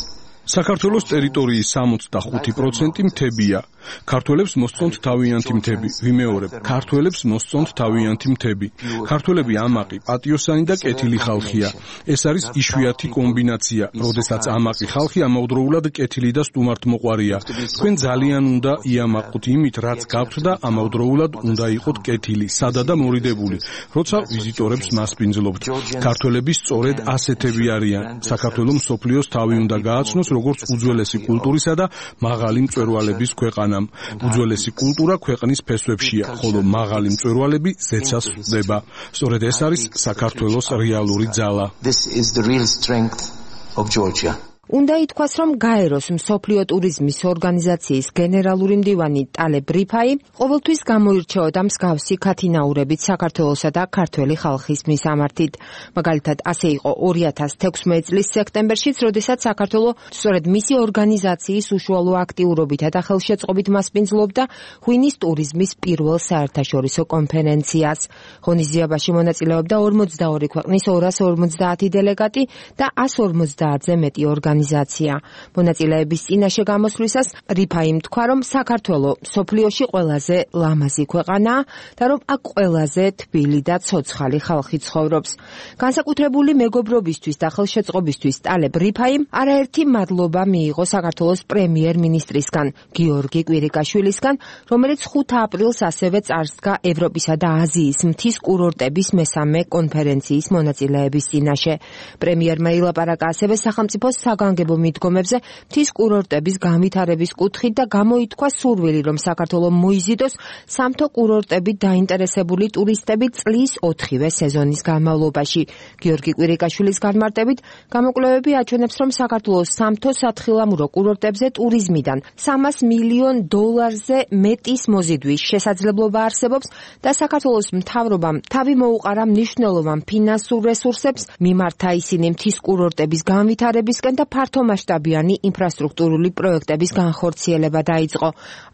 საქართველოს ტერიტორიის სამოცდახუთი პროცენტი მთებია. ქართველებს მოსწონთ თავიანთი მთები. ვიმეორებ, ქართველებს მოსწონთ თავიანთი მთები. ქართველები ამაყი, პატიოსანი და კეთილი ხალხია. ეს არის იშვიათი კომბინაცია, როდესაც ამაყი ხალხი ამავდროულად კეთილი და სტუმართმოყვარია. თქვენ ძალიან უნდა იამაყოთ იმით, რაც გაქვთ და ამავდროულად უნდა იყოთ კეთილი, სადა და მორიდებული, როცა ვიზიტორებს მასპინძლობთ. ქართველები სწორედ ასეთები არიან. საქართველოს მსოფლიოს თავი უნდა გააცნოს როგორც უძველესი კულტურისა და მაღალი მწვერვალების ქვეყანა. უძველესი კულტურა ქვეყნის ფესვებშია, ხოლო მაღალი მწვერვალები ზეცას ხვდება. სწორედ ეს არის საქართველოს რეალური ძალა. This is the real strength of Georgia. უნდა ითქვას, რომ გაეროს მსოფლიო ტურიზმის ორგანიზაციის გენერალური მდივანი ტალე ბრიფაი ყოველთვის გამოირჩეოდა მსგავსი ქათინაურებით საქართველოსა და ქართველი ხალხის მისამართით. მაგალითად, ასე იყო ორი ათას თექვსმეტი წლის სექტემბერშიც, როდესაც საქართველო სწორედ მისი ორგანიზაციის უშუალო აქტიურობითა და ხელშეწყობით მასპინძლობდა ღვინის ტურიზმის პირველ საერთაშორისო კონფერენციას. ღონისძიებაში მონაწილეობდა ორმოცდაორი ქვეყნის ორას ორმოცდაათი დელეგატი და ასს ორმოცდაათზე მეტი ორგანიზაცია. მონაწილეების წინაშე გამოსვლისას რიფაიმ თქვა, რომ საქართველო მსოფლიოში ყველაზე ლამაზი ქვეყანაა და რომ აქ ყველაზე თბილი და ცოცხალი ხალხი ცხოვრობს. განსაკუთრებული მეგობრობისთვის და ხელშეწყობისთვის ტალე ბრიფაიმ არაერთი მადლობა მიიღო საქართველოს პრემიერ-მინისტრისგან გიორგი კვირიკაშვილისგან, რომელიც ხუთ აპრილს ასევე წარსდგა ევროპისა და აზიის მთის კურორტების მესამე კონფერენციის მონაწილეების წინაშე. პრემიერმა ილაპარაკა ასევე სახელმწიფოს საგანგებო საგანგებო მიდგომებზე მთის კურორტების განვითარების კუთხით და გამოითქვა სურვილი, რომ საქართველოს მოიზიდოს სამთო კურორტებით დაინტერესებული ტურისტები წლის ოთხივე სეზონის განმავლობაში. გიორგი კვირიკაშვილის განმარტებით, გამოკვლევები აჩვენებს, რომ საქართველოს სამთო სათხილამურო კურორტებზე ტურიზმიდან სამას მილიონ დოლარზე მეტის მოზიდვის შესაძლებლობა არსებობს და საქართველოს მთავრობამ თავი მოუყარა მნიშვნელოვან ფინანსურ რესურსებს, მიმართა ისინი მთის კურორტების განვითარებისკენ და ფართომასშტაბიანი ინფრასტრუქტურული პროექტების განხორციელება დაიწყო.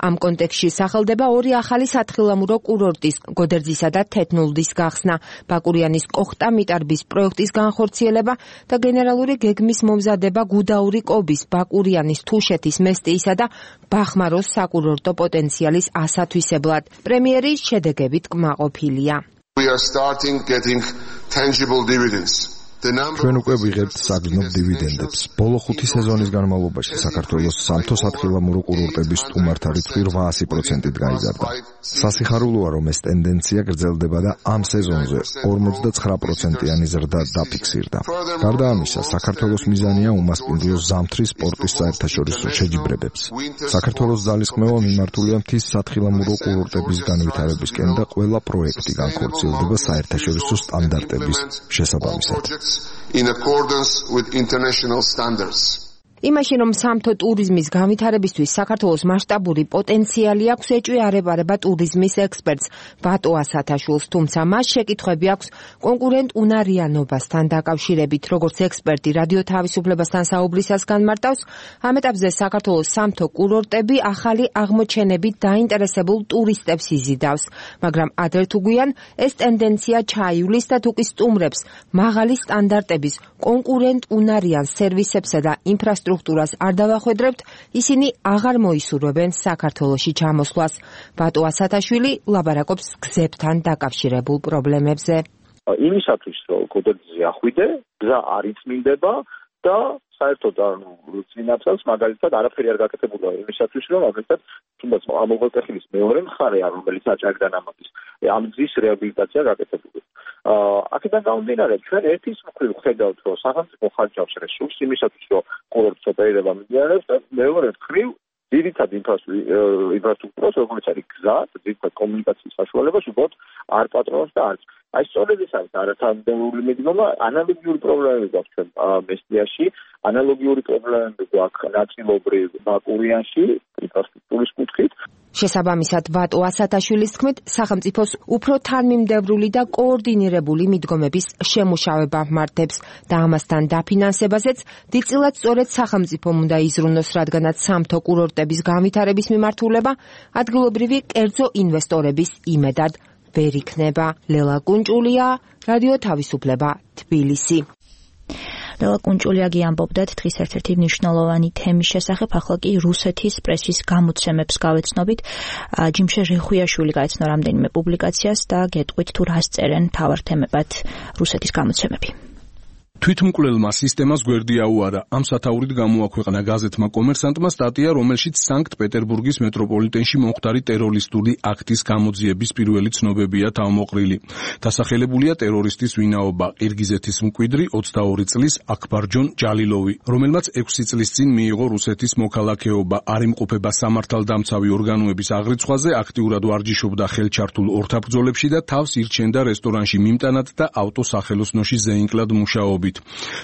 ამ კონტექსტში სახელდება ორი ახალი სათხილამურო კურორტის, გოდერძისა და თეთნულდის გახსნა, ბაკურიანის კოხტა-მიტარბის პროექტის განხორციელება და გენერალური გეგმის მომზადება გუდაური კობის, ბაკურიანის, თუშეთის, მესტიისა და ბახმაროს საკურორტო პოტენციალის ასათვისებლად. პრემიერის შედეგებით კმაყოფილია. We are starting getting tangible dividends. ჩვენ უკვე ვიღებთ საგრძნობ დივიდენდებს. ბოლო ხუთი სეზონის განმავლობაში საქართველოს სამთო სათხილამურო კურორტების სტუმართა რიცხვი რვაასი პროცენტით გაიზარდა. სასიხარულოა, რომ ეს ტენდენცია გრძელდება და ამ სეზონზე ორმოცდაცხრა პროცენტიანი ზრდა დაფიქსირდა. გარდა ამისა, საქართველოს მიზანია უმასპინძლოს ზამთრის სპორტის საერთაშორისო შეჯიბრებებს. საქართველოს ძალისხმევა მიმართულია მთის სათხილამურო კურორტების განვითარებისკენ და ყველა პროექტი განხორციელდება საერთაშორისო სტანდარტების შესაბამისად. In accordance with international standards. იმაში, რომ სამთო ტურიზმის განვითარებისთვის საქართველოს მასშტაბური პოტენციალი აქვს, ეჭვი-არეპარება ტურიზმის ექსპერტს ბატო ასათაშვილს, თუმცა მას შეკითხვები აქვს კონკურენტუნარიანობასთან დაკავშირებით. როგორც ექსპერტი რადიო თავისუფლებასთან საუბრისას განმარტავს, ამ ეტაპზე საქართველოს სამთო კურორტები ახალი აღმოჩენებით დაინტერესებულ ტურისტებს იზიდავს, მაგრამ ადრე თუ გვიან ეს ტენდენცია ჩაივლის და თუ კი სტუმრებს მაღალი სტანდარტების კონკურენტუნარიან სერვისებსა და ინფრასტრუქტურას სტრუქტურას არ დავახვედრებთ, ისინი აღარ მოისურვებენ საქართველოში ჩამოსვლას. ბატო ასათაშვილი ლაბარაკობს გზებთან დაკავშირებულ პრობლემებზე. იმისათვის, რომ გოდერძზე ახვიდე, გზა არ იწმინდება და საერთოდ ანუ წინაპრებს მაგალითად არაფერი არ გაკეთებულა იმისათვის, რომ მაგალითად თუნდაც ამოღელტეხილის მეორე მხარეა, რომელიც აჭარიდან ამოდის, ამ გზის რეაბილიტაცია გაკეთებული. აქედან გამომდინარე, ჩვენ ერთის მხრივ ხედავთ, რომ სახელმწიფო ხარჯავს რესურსს იმისათვის, რომ კურორტს ოპერირება მიმდინარეობს და მეორე მხრივ ძირითად ინფრასტრუქტურას, როგორც არის გზა, ძირითად კომუნიკაციის საშუალებას უბრალოდ არ პატრონობს და არც. აი სწორედ ეს არის არათანადებული მიდგომა, ანალოგიური პრობლემები გვაქვს ჩვენ მესტიაში, ანალოგიური პრობლემები გვაქვს ნაწილობრივ ბაკურიანში, ინფრასტრუქტურის კუთხით. შესაბამისად, ბატო ასათაშვილის თქმით, სახელმწიფოს უფრო თანმიმდევრული და კოორდინირებული მიდგომების შემუშავება მართებს და ამასთან დაფინანსებაზეც დიდწილად სწორედ სახელმწიფომ უნდა იზრუნოს, რადგანაც სამთო კურორტების განვითარების მიმართულება ადგილობრივი კერძო ინვესტორების იმედად ვერ იქნება. ლელა კუნჭულია, რადიო თავისუფლება, თბილისი. ლელა კუნჭულიაგი ამბობდა დღის ერთ-ერთი მნიშვნელოვანი თემის შესახებ, ახლა კი რუსეთის პრესის გამოცემებს გავეცნობით. ჯიმშე რეხვიაშვილი გაეცნო რამდენიმე პუბლიკაციას და გეტყვით თუ რას წერენ მთავარ თემებად რუსეთის გამოცემები. თვითმკვლელმა სისტემას გვერდი აუარა. ამ სათაურით გამოაქვეყნა გაზეთმა კომერსანტმა სტატია, რომელშიც სანქტ-პეტერბურგის მეტროპოლიტენში მომხდარი ტერორისტული აქტის გამოძიების პირველი ცნობებია თავმოყრილი. დასახელებულია ტერორისტის ვინაობა, ყირგიზეთის მკვიდრი ოცდაორი წლის აქბარჯონ ჯალილოვი, რომელმაც ექვსი წლის წინ მიიღო რუსეთის მოქალაქეობა. არ იმყოფება სამართალდამცავი ორგანოების აღრიცხვაზე, აქტიურად ვარჯიშობდა ხელჩართულ ორთაბრძოლებში და თავს ირჩენდა რესტორანში მიმტანად და ავტოსახელოსნოში ზეინკლად მუშაობით.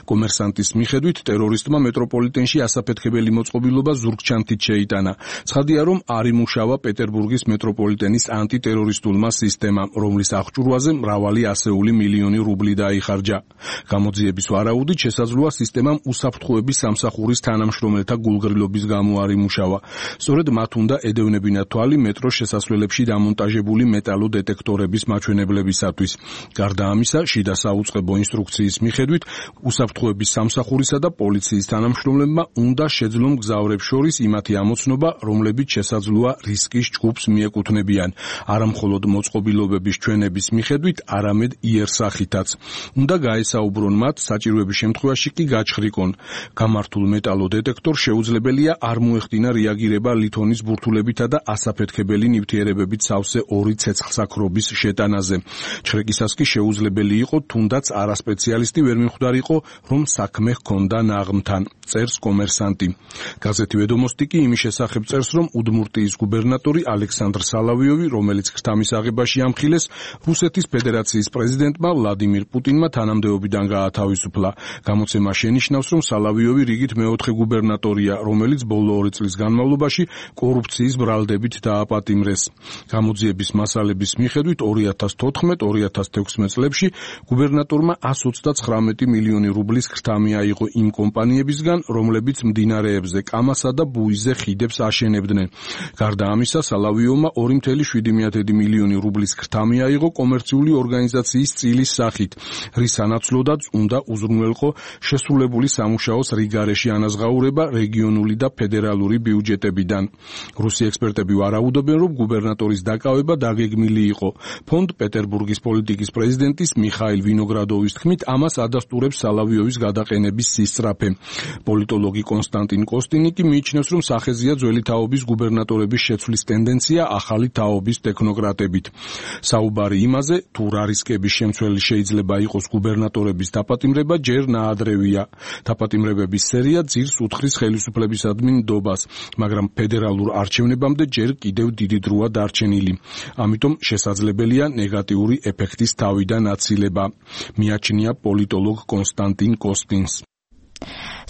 კომერსანტის მიხედვით ტერორისტმა მეტროპოლიტენში ასაფეთქებელი მოწყობილობა ზურგჩანთით შეიტანა. ცხადია, რომ არ იმუშავა პეტერბურგის მეტროპოლიტენის ანტიტერორისტულმა სისტემამ, რომლის აღჭურვაზე მრავალი ასეული მილიონი რუბლი დაიხარჯა. გამოძიების ვარაუდით შესაძლოა სისტემამ უსაფრთხოების სამსახურის თანამშრომელთა გულგრილობის გამო არ იმუშავა. სწორედ მათ უნდა ედევნებინათ თვალი მეტროს შესასვლელებში დამონტაჟებული მეტალოდეტექტორების მაჩვენებლებისათვის. გარდა ამისა, შიდა საუწყებო ინსტრუქციის მიხედვით უსაფრთხოების სამსახურისა და პოლიციის თანამშრომლებმა უნდა შეძლონ მგზავრებს შორის იმათი ამოცნობა, რომლებიც შესაძლოა რისკის ჯგუფს მიეკუთვნებიან, არა მხოლოდ მოწყობილობების ჩვენების მიხედვით, არამედ იერსახითაც. უნდა გაესაუბრონ მათ, საჭიროების შემთხვევაში კი გაჩხრიკონ. გამართულ მეტალოდეტექტორს შეუძლებელია არ მოეხდინა რეაგირება ლითონის ბურთულებითა და ასაფეთქებელი ნივთიერებებით სავსე ორი ცეცხლსაქრობის შეტანაზე. ჩხრეკისას კი შეუძლებელი იყო თუნდაც არასპეციალისტი ვერ მიხვდა მომხდარიყო, რომ საქმე ჰქონდა ნაღმთან, წერს კომერსანტი. გაზეთი ვედომოსტიკი იმის შესახებ წერს, რომ უდმურტიის გუბერნატორი ალექსანდრ სალავიოვი, რომელიც ქრთამის აღებაში ამხილეს, რუსეთის ფედერაციის პრეზიდენტმა ვლადიმირ პუტინმა თანამდებობიდან გაათავისუფლა. გამოცემა შენიშნავს, რომ სალავიოვი რიგით მეოთხე გუბერნატორია, რომელიც ბოლო ორი წლის განმავლობაში კორუფციის ბრალდებით დააპატიმრეს. გამოძიების მასალების მიხედვით ორი ათას თოთხმეტ ორი ათას თექვსმეტ წლებში გუბერნატორმა εκατს ოცდაცხრამეტი მილიონი რუბლის ქრთამი აიღო იმ კომპანიებისგან, რომლებიც მდინარეებზე კამასა და ბუიზე ხიდებს აშენებდნენ. გარდა ამისა, სალავიოვმა ორი ათეული მილიონი რუბლის ქრთამი აიღო კომერციული ორგანიზაციის წილის სახით, რის სანაცვლოდაც უნდა უზრუნველყო შესრულებული სამუშაოს რიგარეში ანაზღაურება რეგიონული და ფედერალური ბიუჯეტებიდან. რუსი ექსპერტები ვარაუდობენ, რომ გუბერნატორის დაკავება დაგეგმილი იყო. ფონდ პეტერბურგის პოლიტიკის პრეზიდენტის მიხაილ ვინოგრადოვის თქმით, ამას ადასტურებს სალავიოვის გადაყენების სისწრაფე. პოლიტოლოგი კონსტანტინ კოსტინიკი მიიჩნევს, რომ სახეზია ძველი თაობის გუბერნატორების შეცვლის ტენდენცია ახალი თაობის ტექნოკრატებით. საუბარი იმაზე, თუ რა რისკების შემცველი შეიძლება იყოს გუბერნატორების დაპატიმრება, ჯერ ნაადრევია. დაპატიმრებების სერია ძირს უთხრის ხელისუფლებისადმი ნდობას, მაგრამ ფედერალურ არჩევნებამდე ჯერ კიდევ დიდი დროა დარჩენილი. ამიტომ შესაძლებელია ნეგატიური ეფექტის თავიდან აცილება. მიაჩნია პოლიტოლოგ კონსტანტინ კოსტინს.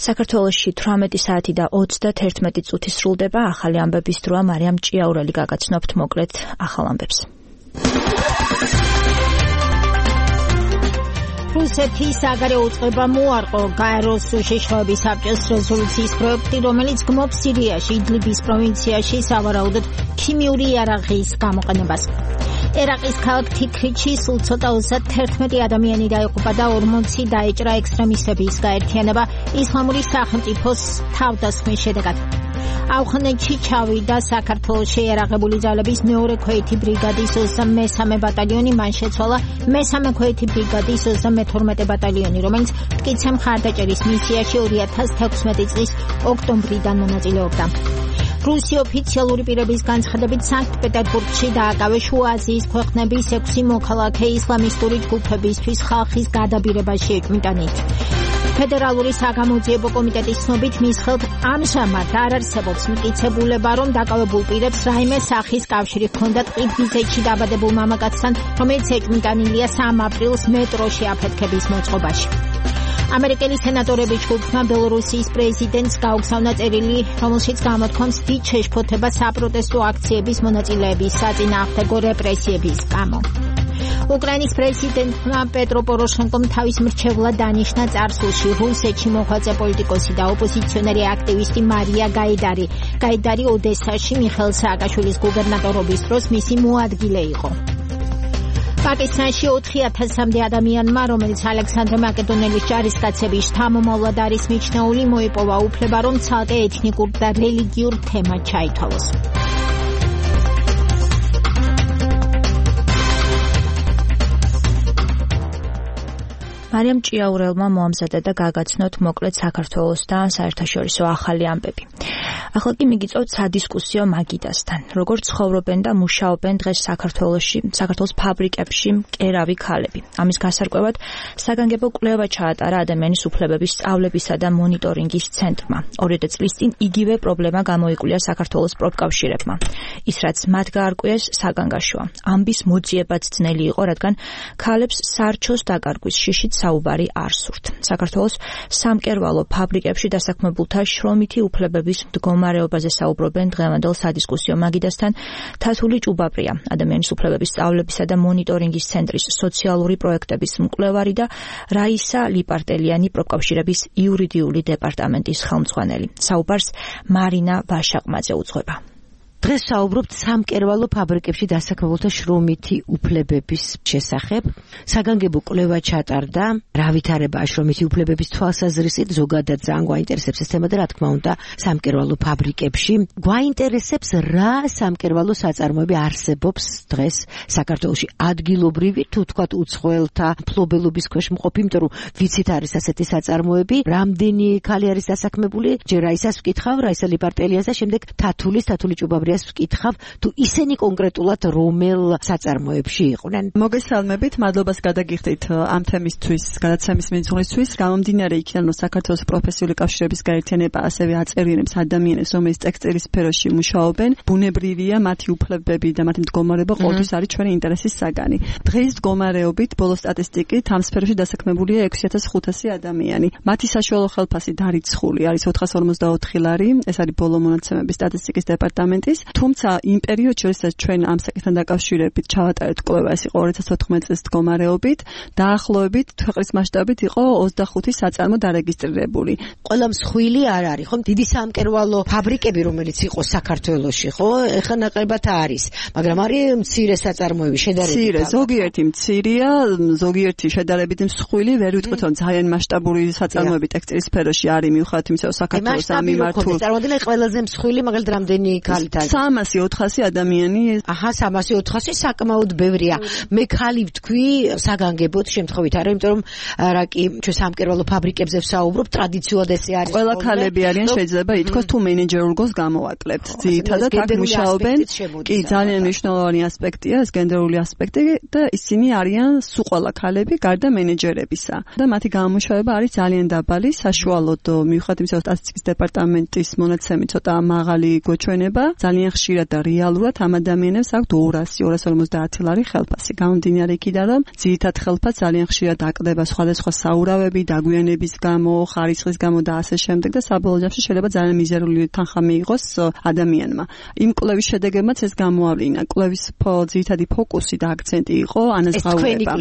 საქართველოში თვრამეტი საათი და ოცდაერთი წუთი სრულდება. ახალი ამბების დროა. მარიამ ჭიაურელი გაგაცნობთ მოკლედ ახალ ამბებს. რუსეთის საგარეო უწყებამ მოარყო გაეროს უშიშროების საბჭოს რეზოლუციის პროექტი, რომელიც გმობს სირიაში იდლიბის პროვინციაში სავარაუდოდ ქიმიური იარაღის გამოყენებას. ერაყის ქალაქ თიქრიჩი სულ ცოტა ოცდაერთი ადამიანი დაიღუპა და ორმოცი დაეჭრა ექსტრემისტების გაერთიანება ისლამური სახელმწიფოს თავდასხმის შედეგად. ავღანეთში ჩავიდა საქართველოში იარაღებული ძალების მეორე ქვეითი ბრიგადის ოცდამესამე ბატალიონი, მან შეცვალა მესამე ქვეითი ბრიგადის ოცდამეთორმეტე ბატალიონი, რომელიც მტკიცე მხარდაჭერის მისიაში ორი ათას თექვსმეტი წლის ოქტომბრიდან მონაწილეობდა. რუსი ოფიციალური პირების განცხადებით, სანქტ-პეტერბურგში დააკავეს შუა აზიის ქვეყნების ექვსი მოქალაქე ისლამისტური ჯგუფებისთვის ხალხის გადაბირებაში ეჭვმიტანით. ფედერალური საგამოძიებო კომიტეტის ცნობით, მის ხელთ ამჟამად არ არსებობს მტკიცებულება, რომ დაკავებულ პირებს რაიმე სახის კავშირი ჰქონდათ ყირგიზეთში დაბადებულ მამაკაცთან, რომელიც ეჭვმიტანილია სამ აპრილს მეტროში აფეთქების მოწყობაში. ამერიკელი სენატორების ჯგუფმა ბელორუსიის პრეზიდენტს გაუგზავნა წერილი, რომელშიც გამოთქვამს დიდ შეშფოთებას საპროტესტო აქციების მონაწილეების საწინააღმდეგო რეპრესიების გამო. უკრაინის პრეზიდენტმა პეტრო პოროშენკომ თავის მრჩევლად დანიშნა წარსულში რუსეთში მოღვაწე პოლიტიკოსი და ოპოზიციონერი აქტივისტი მარია გაიდარი. გაიდარი ოდესაში მიხეილ სააკაშვილის გუბერნატორობის დროს მისი მოადგილე იყო. პაკისტანში ოთხი ათასამდე ადამიანმა, რომელიც ალექსანდრე მაკედონელის ჯარისკაცების შთამომავლად არის მიჩნეული, მოიპოვა უფლება, რომ ცალკე ეთნიკურ და რელიგიურ თემად ჩაითვალოს. მარიამ ჭიაურელმა მოამზადა და გაგაცნოთ მოკლედ საქართველოსთან საერთაშორისო ახალი ამბები. ახლა კი მიგიწევთ სადისკუსიო მაგიდასთან. როგორ ცხოვრობენ და მუშაობენ დღეს საქართველოში, საქართველოს ფაბრიკებში მკერავი ქალები. ამის გასარკვევად საგანგებო კვლევა ჩაატარა ადამიანის უფლებების სწავლებისა და მონიტორინგის ცენტრმა. ორი წლის წინ იგივე პრობლემა გამოიკვლია საქართველოს პროფკავშირებმა. ის რაც მათ გაარკვიეს საგანგაშოა. ამბის მოძიებაც ძნელი იყო, რადგან ქალებს სარჩოს დაკარგვის შიშით საუბარი არ სურთ. საქართველოს სამკერვალო ფაბრიკებში დასაქმებულთა შრომითი უფლებების მდგომარეობაზე საუბრობენ დღევანდელ სადისკუსიო მაგიდასთან თათული ჭუბაბრია, ადამიანის უფლებების სწავლებისა და მონიტორინგის ცენტრის სოციალური პროექტების მკვლევარი და რაისა ლიპარტელიანი პროფკავშირების იურიდიული დეპარტამენტის ხელმძღვანელი. საუბარს მარინა ვაშაყმაძე უძღვება. დღეს საუბრობთ სამკერვალო ფაბრიკებში დასაქმებულთა შრომითი უფლებების შესახებ. საგანგებო კვლევა ჩატარდა, რა ვითარებაა შრომითი უფლებების თვალსაზრისით, ზოგადად ძალიან გვაინტერესებს ეს თემა და რა თქმა უნდა სამკერვალო ფაბრიკებში. გვაინტერესებს რა სამკერვალო საწარმოები არსებობს დღეს საქართველოში. ადგილობრივი თუ თქვათ უცხოელთა მფლობელობის ქვეშ მყოფი, იმიტომ რომ ვიცით არის ასეთი საწარმოები, რამდენი ქალი არის დასაქმებული, ჯერ რაისას ვკითხავ, რაისა ლიპარტელიას და შემდეგ თათულის, თათული ჭუბაბრია კატეგორიას ვკითხავ, თუ ისინი კონკრეტულად რომელ საწარმოებში იყვნენ. მოგესალმებით, მადლობას გადაგიხდით ამ თემისთვის, გადაცემის მიძღვნისთვის. გამომდინარე იქიდან, რომ საქართველოს პროფესიული კავშირების გაერთიანება ასევე აწევრიანებს ადამიანებს, რომელიც ტექსტილის სფეროში მუშაობენ, ბუნებრივია მათი უფლებები და მათი მდგომარეობა ყოველთვის არის ჩვენი ინტერესის საგანი. დღეს მდგომარეობით ბოლო სტატისტიკით ამ სფეროში დასაქმებულია ექვსი ათას ხუთასი ადამიანი. მათი საშუალო ხელფასი დარიცხული არის ოთხას ორმოცდაოთხი ლარი, ეს არის ბოლო მონაცემების სტატისტიკის დეპარტამენტის. თუმცა იმ პერიოდში, როდესაც ჩვენ ამ საკითხთან დაკავშირებით ჩავატარეთ კვლევა, ეს იყო ორი ათას ოთხმეტი წლის მდგომარეობით, დაახლოებით ქვეყნის მასშტაბით იყო ოცდახუთი საწარმო დარეგისტრირებული. ყველა მსხვილი არ არის, ხო? დიდი სამკერვალო ფაბრიკები, რომელიც იყო საქართველოში, ხო? ეხლა ნაკლებად არის, მაგრამ არის მცირე საწარმოები შედარებით. მცირე, ზოგიერთი მცირეა, ზოგიერთი შედარებით მსხვილი, ვერ ვიტყვით, რომ ძალიან მასშტაბური საწარმოები ტექსტილის სფეროში არის, მიუხედავად იმისა, რომ საქართველოს ამიმართულ. წარმოვიდგინე ყველაზე მსხვილი, მაგალითად, რამდენი ქალით არის? სამასი ოთხასი ადამიანი. აჰა, სამასი ოთხასი საკმაოდ ბევრია. მე ქალი ვთქვი, საგანგებოდ შემთხვევით არა, იმიტომ რომ რა კი ჩვენ სამკერვალო ფაბრიკებზე ვსაუბრობ, ტრადიციულად ესე არის. ყველა ქალები არიან, შეიძლება ითქვას, თუ მენეჯერულ როლს გამოვაკლებთ. ძირითადად აქ მუშაობენ. კი, ძალიან მნიშვნელოვანი ასპექტია ეს გენდერული ასპექტი და ისინი არიან სულ ყველა ქალები გარდა მენეჯერებისა. და მათი გამომუშავება არის ძალიან დაბალი, საშუალოდ მიუხედავად იმისა, რომ სტატისტიკის დეპარტამენტის მონაცემით ცოტა მაღალი გვეჩვენება, ძალიან ხშირად და რეალურად ამ ადამიანებს აქვთ ორასი ორას ორმოცდაათი ლარი ხელფასი. გამომდინარე იქიდან, რომ ძირითად ხელფასს ძალიან ხშირად აკდება სხვადასხვა საურავები, დაგვიანების გამო, ხარისხის გამო და ასე შემდეგ და საბოლოო ჯამში შეიძლება ძალიან მიზერული თანხა მიიღოს ადამიანმა. იმ კვლევის შედეგებმაც ეს გამოავლინა. კვლევის ძირითადი ფოკუსი და აქცენტი იყო ანაზღაურება.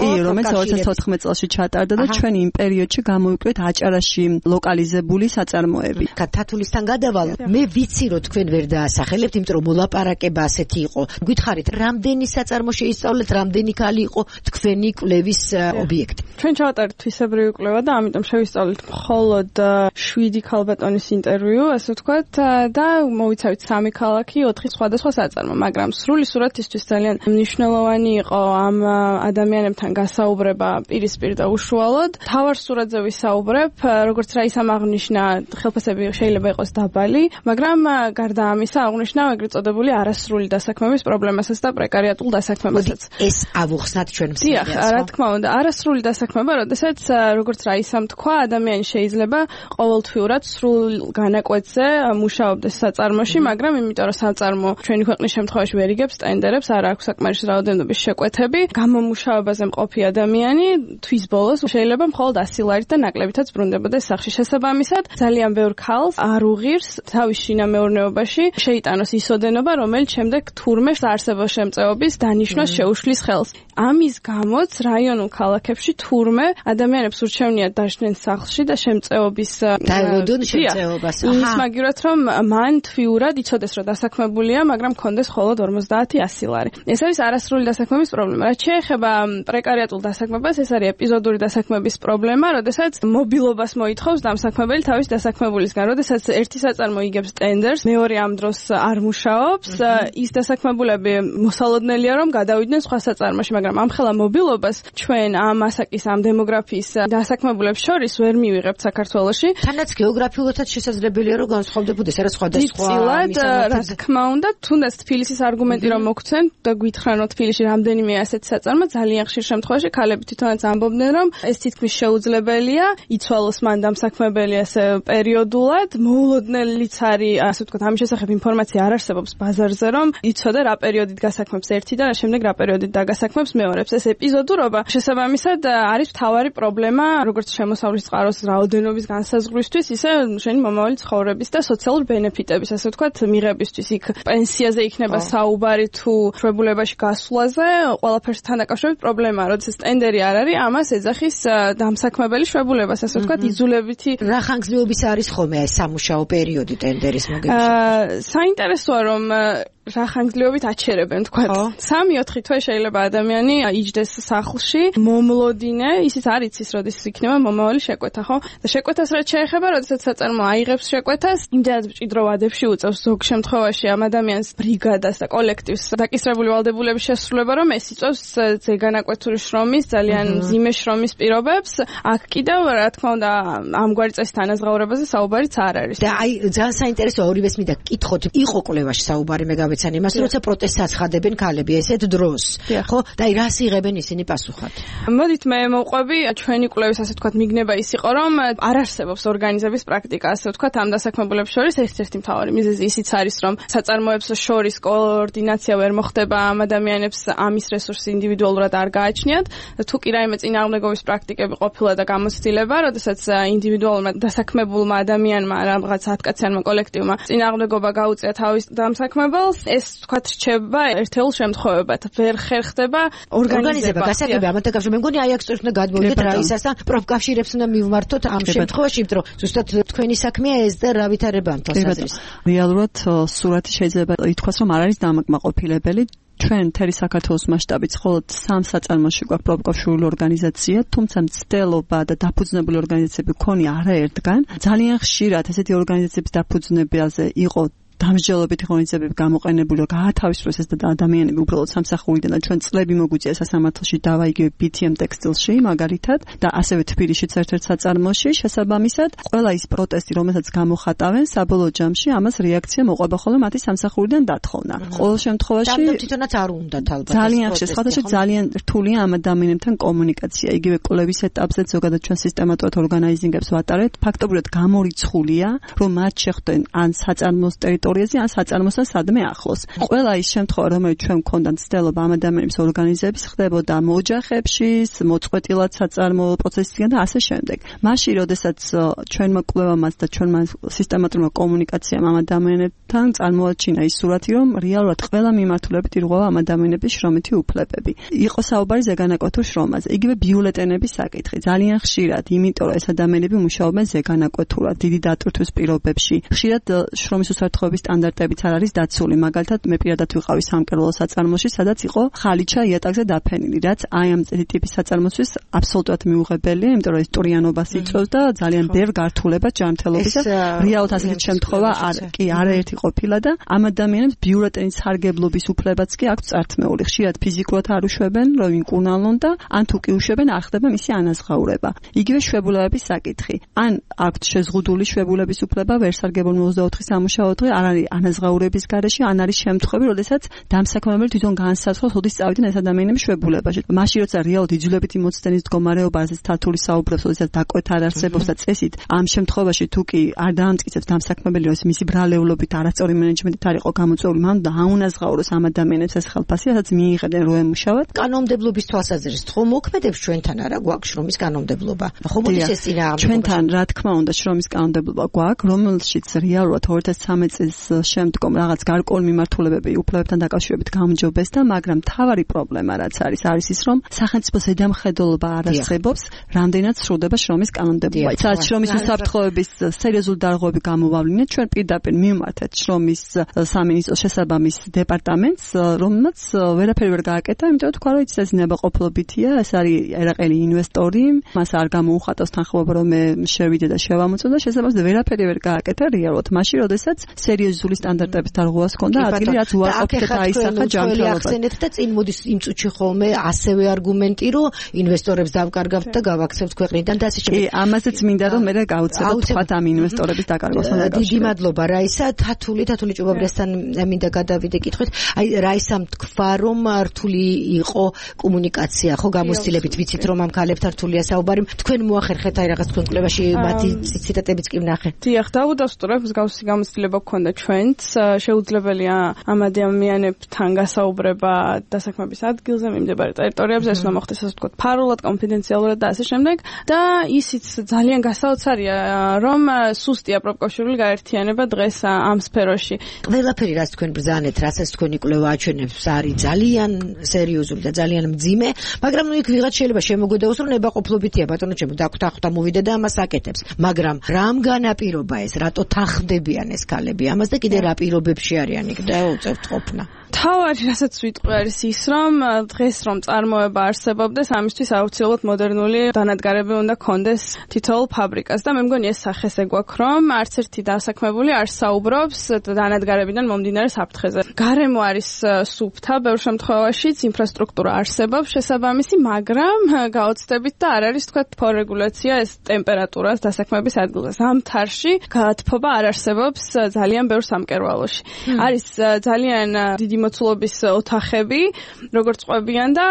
კი, რომელიც ორი ათას ოთხმეტი წელს ჩატარდა და ჩვენ იმ პერიოდში გამოვიკვირეთ აჭარაში ლოკალიზებული საწარმოები. თათულისთან გადავალ, მე ვიცი რომ თქვენ ვერ დაასახელებთ, იმიტომ რომ მოლაპარაკება ასეთი იყო. გითხარით, რამდენი საწარმო შეისწავლეთ, რამდენი ქალი იყო თქვენი კვლევის ობიექტი? ჩვენ ჩავატარეთ თვისებრივი კვლევა და ამიტომ შევისწავლეთ მხოლოდ შვიდი ქალბატონის ინტერვიუ, ასე ვთქვათ, და მოვიცავით სამი ქალაქი, ოთხი სხვადასხვა საწარმო, მაგრამ სრული სურათისთვის ძალიან მნიშვნელოვანი იყო ამ ადამიანებთან გასაუბრება პირისპირ და უშუალოდ. თავარ სურათზე ვისაუბრებ, როგორც რაისამ აღნიშნა, ხელფასები შეიძლება იყოს დაბალი, მაგრამ გარდა ამისა აღნიშნა ეგრეთ წოდებული არასრული დასაქმების პრობლემასაც და პრეკარიატულ დასაქმებასაც. ეს ავუხსნათ ჩვენ მსმენელს. დიახ, რა თქმა უნდა, არასრული დასაქმება, როდესაც როგორც რაისამ თქვა, ადამიანი შეიძლება ყოველთვიურად სრულ განაკვეთზე მუშაობდეს საწარმოში, მაგრამ იმიტომ რომ საწარმო ჩვენი ქვეყნის შემთხვევაში ვერ იგებს ტენდერებს, არ აქვს საკმარისი რაოდენობის შეკვეთები, გამომუშავებაზე მყოფი ადამიანი თვის ბოლოს შეიძლება მხოლოდ ასი ლარით და ნაკლებითაც ბრუნდებოდეს სახში. შესაბამისად, ძალიან ბევრ ქალს არ უღირს თავის შინამეურნეობაში შეიტანოს ის ოდენობა, რომელიც შემდეგ თურმე საარსებო შემწეობის დანიშვნას შეუშლის ხელს. ამის გამოც რაიონულ ქალაქებში თურმე ადამიანებს ურჩევნიათ დაჟდნენ სახლში და შემწეობის დაელოდონ შემწეობას. ის მაგივრად რომ მან თვიურად იცოდეს რომ დასაქმებულია, მაგრამ კონდეს მხოლოდ ორმოცდაათი ასი ლარი. ეს არის არასრული დასაქმების პრობლემა. რაც შეეხება პრეკარიატულ დასაქმებას, ეს არის ეპიზოდური დასაქმების პრობლემა, როდესაც მობილობას მოითხოვს დამსაქმებელი თავის დასაქმებულისგან. როდესაც ერთი საწარმო იგებს ტენდერს, მეორე ამ დროს არ მუშაობს, ის დასაქმებულები მოსალოდნელია რომ გადავიდნენ სხვა საწარმოში, მაგრამ ამხელა მობილობას ჩვენ ამ ასაკის ამ დემოგრაფიის დასაქმებულებს შორის ვერ მივიღებთ საქართველოში. თანაც გეოგრაფიულადაც შესაძლებელია რომ განსხვავდებოდეს არა სხვადასხვა. წილად, რა თქმა უნდა, თუნდაც თბილისის არგუმენტი რომ მოგცენ და გითხრან რომ თბილისში რამდენიმე ასეთი საწარმო, ძალიან ხშირ შემთხვევაში ქალები თვითონაც ამბობდნენ რომ ეს თითქმის შეუძლებელია, იცვალოს მან დამსაქმებელი ასე პერიოდულად, მოულოდნელიც არის, ასე ვთქვათ, ამის შესახებ ინფორმაცია არ არსებობს ბაზარზე, რომ იცოდე რა პერიოდით გასაქმებს ერთი და რა შემდეგ რა პერიოდით დაგასაქმებს მეორებს. ეს ეპიზოდურობა შესაბამისად არის მთავარი პრობლემა, როგორც შემოსავლის წყაროს რაოდენობის განსაზღვრისთვის, ისე შენი მომავალი ცხოვრების და სოციალურ ბენეფიტების, ასე ვთქვათ, მიღებისთვის. იქ პენსიაზე იქნება საუბარი თუ შვებულებაში გასვლაზე, ყველაფერსთან დაკავშირებით პრობლემაა, როდესაც ტენდერი არ არის, ამას ეძახის დამსაქმებელი შვებულებას, ასე ვთქვათ, იძულებითი. რა ხანგრძლივობის არის ხოლმე ეს სამუშაო პერიოდი ტენდერის მოგებაში? საინტერესოა რომ რა ხანგრძლივობით აჩერებენ თქვა. სამი ოთხი თვე შეიძლება ადამიანი იჯდეს სახლში, მომლოდინე, ისიც არ იცის, როდის იქნება მომავალი შეკვეთა, ხო? და შეკვეთას რაც შეეხება, როდესაც საწარმო აიღებს შეკვეთას, იმდენად მჭიდრო ვადებში უწევს ზოგ შემთხვევაში ამ ადამიანს ბრიგადას და კოლექტივს დაკისრებული ვალდებულების შესრულება, რომ ეს იწვევს ზეგანაკვეთური შრომის, ძალიან მძიმე შრომის პირობებს. აქ კიდევ რა თქმა უნდა ამგვარი წესით ანაზღაურებაზე საუბარიც არ არის. და აი ძალიან საინტერესო ორივეს მინდა კითხოთ, იყო კვლევაში საუბარი მე გავეცანი იმას, როცა პროტესტს აცხადებენ ქალები ესეთ დროს. ხო? და აი რას იღებენ ისინი პასუხად? მოდით მე მოვყვები ჩვენი კვლევის ასე ვთქვათ მიგნება ის იყო, რომ არ არსებობს ორგანიზების პრაქტიკა, ასე ვთქვათ, ამ დასაქმებულებს შორის ერთ-ერთი მთავარი მიზეზი ისიც არის, რომ საწარმოებს შორის კოორდინაცია ვერ მოხდება, ამ ადამიანებს ამის რესურსი ინდივიდუალურად არ გააჩნიათ. თუ კი რაიმე წინააღმდეგობის პრაქტიკები ყოფილა და გამოცდილება, როდესაც ინდივიდუალურმა დასაქმებულმა ადამიანმა რაღაც ათკაციანმა კოლექტივმა წინააღმდეგობა გაუწია თავის დამსაქმებელს, ეს ვთქვათ რჩება ერთეულ შემთხვევებად. ვერ ხერხდება ორგანიზება. გასაგები ამათა კავშირი. მე მგონი აი აქ სწორედ უნდა გადმოვიდეთ რაისასთან, პროფკავშირებს უნდა მივმართოთ ამ შემთხვევაში, იმიტომ რომ ზუსტად თქვენი საქმეა ეს და რა ვითარება ამ თვალსაზრისით. რეალურად სურათი შეიძლება ითქვას, რომ არ არის დამაკმაყოფილებელი. ჩვენ მთელი საქართველოს მასშტაბით მხოლოდ სამ საწარმოში გვაქვს პროფკავშირული ორგანიზაცია, თუმცა მცდელობა და დაფუძნებული ორგანიზაციები ქონია არაერთგან. ძალიან ხშირად ესეთი ორგანიზაციების დაფუძნებაზე იყო დამსჯელობითი ღონისძიებები გამოყენებული, გაათავისუფლეს ეს ადამიანები უბრალოდ სამსახურიდან და ჩვენ წლები მოგვიწია სასამართლოში დავა იგივე ბი თი ემ ტექსტილში მაგალითად და ასევე თბილისშიც ერთ-ერთ საწარმოში შესაბამისად ყველა ის პროტესტი რომელსაც გამოხატავენ საბოლოო ჯამში ამას რეაქცია მოყვება ხოლმე მათი სამსახურიდან დათხოვნა. ყოველ შემთხვევაში თვითონაც არ უნდათ ალბათ. ძალიან ხშირად სხვადასხვა ძალიან რთულია ამ ადამიანებთან კომუნიკაცია. იგივე კვლევის ეტაპზე ზოგადად ჩვენ სისტემატურად ორგანიზინგებს ვატარებთ. ფაქტობრივად გამორიცხულია რომ მათ შეხვდნენ ან საწარმოს ტერიტორიაზე ან საწარმოსთან სადმე ახლოს. ყველა ის შემთხვევა, რომელიც ჩვენ გვქონდა მცდელობა ამ ადამიანების ორგანიზების, ხდებოდა მოოჯახებში, მოწყვეტილად საწარმო პროცესიდან და ასე შემდეგ. მაშინ, როდესაც ჩვენმა კვლევამაც და ჩვენმა სისტემატურმა კომუნიკაციამ ამ ადამიანებთან წარმოაჩინა ის სურათი, რომ რეალურად ყველა მიმართულებით ირღვევა ამ ადამიანების შრომითი უფლებები. იყო საუბარი ზეგანაკვეთურ შრომაზე. იგივე ბიულეტენების საკითხი. ძალიან ხშირად, იმიტომ რომ ეს ადამიანები მუშაობენ ზეგანაკვეთურად, დიდი დატვირთვის პირობებში. ხშირად შრომის უსაფრთხოების სტანდარტებიც არ არის დაცული. მაგალითად, მე პირადად ვიყავი სამკერვალო საწარმოში, სადაც იყო ხალიჩა იატაკზე დაფენილი, რაც აი ამ ტიპის საწარმოსთვის აბსოლუტურად მიუღებელია, იმიტომ რომ ეს ტურიანობას იწვევს და ძალიან ბევრ გართულებას ჯანმრთელობის და რეალურად ასეთი შემთხვევა არ კი არაერთი ყოფილა და ამ ადამიანებს ბიულეტენის სარგებლობის უფლებაც კი აქვთ წართმეული. ხშირად ფიზიკურად არ უშვებენ, რომ იმკურნალონ და ან თუ კი უშვებენ, არ ხდება მისი ანაზღაურება. იგივე შვებულებების საკითხი. ან აქვთ შეზღუდული შვებულების უფლება, ვერ სარგებლობენ ოცდაოთხი სამუშაო დღე, არ არის ანაზღაურების გარეშე, ან არის შემთხვევები, როდესაც დამსაქმებელი თვითონ განსაცდელს ოდის წავიდნენ ეს ადამიანები შვებულებაში. მაშინ როცა რეალურად იძულებითი მოცდენის მდგომარეობაზე თათული საუბრობს, როდესაც დაკვეთა არ არსებობს და წესით, ამ შემთხვევაში თუ კი არ დაამტკიცებს დამსაქმებელი, რომ მისი ბრალეულობით არასწორი მენეჯმენტით არ იყო გამოწვეული, მან დაუნაზღაუროს ამ ადამიანებს ეს ხელფასი, სადაც მიიღებდნენ რომ ემუშავათ. კანონმდებლობის თვალსაზრისით ხომ მოქმედებს ჩვენთან არა გვაქვს შრომის კანონმდებლობა? ხომ მოდის ეს წინააღმდეგობა? ჩვენთან რა თქმა უნდა შრომის კანონმდებლობა გვაქვს, რომელშიც რეალურად ორი ათას ცხრამეტი წლის შემდგომ რაღაც გარკვეული მიმართულებები უფლებებთან დაკავშირებით გამჯობესდა, მაგრამ მთავარი პრობლემა რაც არის, არის ის, რომ სახელმწიფოს ზედამხედველობა არ არსებობს, რამდენად სრულდება შრომის კანონმდებლობა. სადაც შრომის უსაფრთხოების სერიოზული დარღვევები გამოვავლინეთ, ჩვენ პირდაპირ მივმართეთ შრომის სამინისტროს შესაბამის დეპარტამენტს, რომელმაც ვერაფერი ვერ გააკეთა, იმიტომ რომ თქვა, რომ ის ეს ნებაყოფლობითია, ეს არის ერაყელი ინვესტორი, მას არ გამოუხატავს თანხმობა, რომ მე შევიდე და შევამოწმო და შესაბამისად ვერაფერი ვერ გააკეთა რეალურად. მაშინ, როდესაც სერიოზული სტანდარტების დარღვევას ჰქონდა, ადგილი რაც უარყოფით და აისახა ჯანმრთელობა. ახსენეთ და წინ მოდის იმ წუთში ხოლმე ასევე არგუმენტი, რომ ინვესტორებს დავკარგავთ და გავაქცევთ ქვეყნიდან და ასე შემდეგ. კი, ამაზეც მინდა რომ მე გავუწევთ თქვათ ამ ინვესტორების დაკარგვასთან დაკავშირებით. დიდი მადლობა რაისა, თათული, თათული ჭუბაბრესთან მინდა გადავიდე კითხვით. აი რაისამ თქვა რომ რთული იყო კომუნიკაცია, ხო გამოცდილებით ვიცით რომ ამ ქალებთან რთულია საუბარი. თქვენ მოახერხეთ აი რაღაც თქვენ კვლევაში მათი ციტატებიც კი ვნახე. დიახ, დავუდასტურებ, მსგავსი გამოცდილება გქონდა ჩვენც, შეუძლებელია ამ ადამიანებთან გასაუბრება დასაქმების ადგილზე, მიმდებარე ტერიტორიებზე, ეს უნდა მოხდეს ასე ვთქვათ, ფარულად, კონფიდენციალურად და ასე შემდეგ. და ისიც ძალიან გასაოცარია, რომ სუსტია პროფკავშირული გაერთიანება დღეს ამ სფეროში. ყველაფერი რაც თქვენ ბრძანეთ, რასაც თქვენი კვლევა აჩვენებს, არის ძალიან სერიოზული და ძალიან მძიმე, მაგრამ ნუ იქ ვიღაც შეიძლება შემოგვედაოს, რომ ნებაყოფლობითია, ბატონო ჩემო, დაგვთანხმდა მოვიდე და ამას აკეთებს. მაგრამ რამ განაპირობა ეს, რატო თანხმდებიან ეს ქალები? ამ ამას და კიდე რა პირობებში არიან იქ და უწევთ ყოფნა. თავარი რასაც ვიტყვი არის ის, რომ დღეს რომ წარმოება არსებობდეს, ამისთვის აუცილებლად მოდერნული დანადგარები უნდა კონდეს თითოეულ ფაბრიკას და მე მგონი ეს სახესე გვაქვს, რომ არც ერთი დასაქმებული არ საუბრობს დანადგარებიდან მომდინარე საფრთხეზე. გარემო არის სუფთა, ბევრ შემთხვევაშიც ინფრასტრუქტურა არსებობს შესაბამისი, მაგრამ გაოცდებით და არ არის თქვა თორეგულაცია ეს ტემპერატურას დასაქმების ადგილზე. ზამთარში გათბობა არ არსებობს ძალიან ბევრ სამკერვალოში. არის ძალიან დიდი მოცულობის ოთახები, როგორც ყვებიან და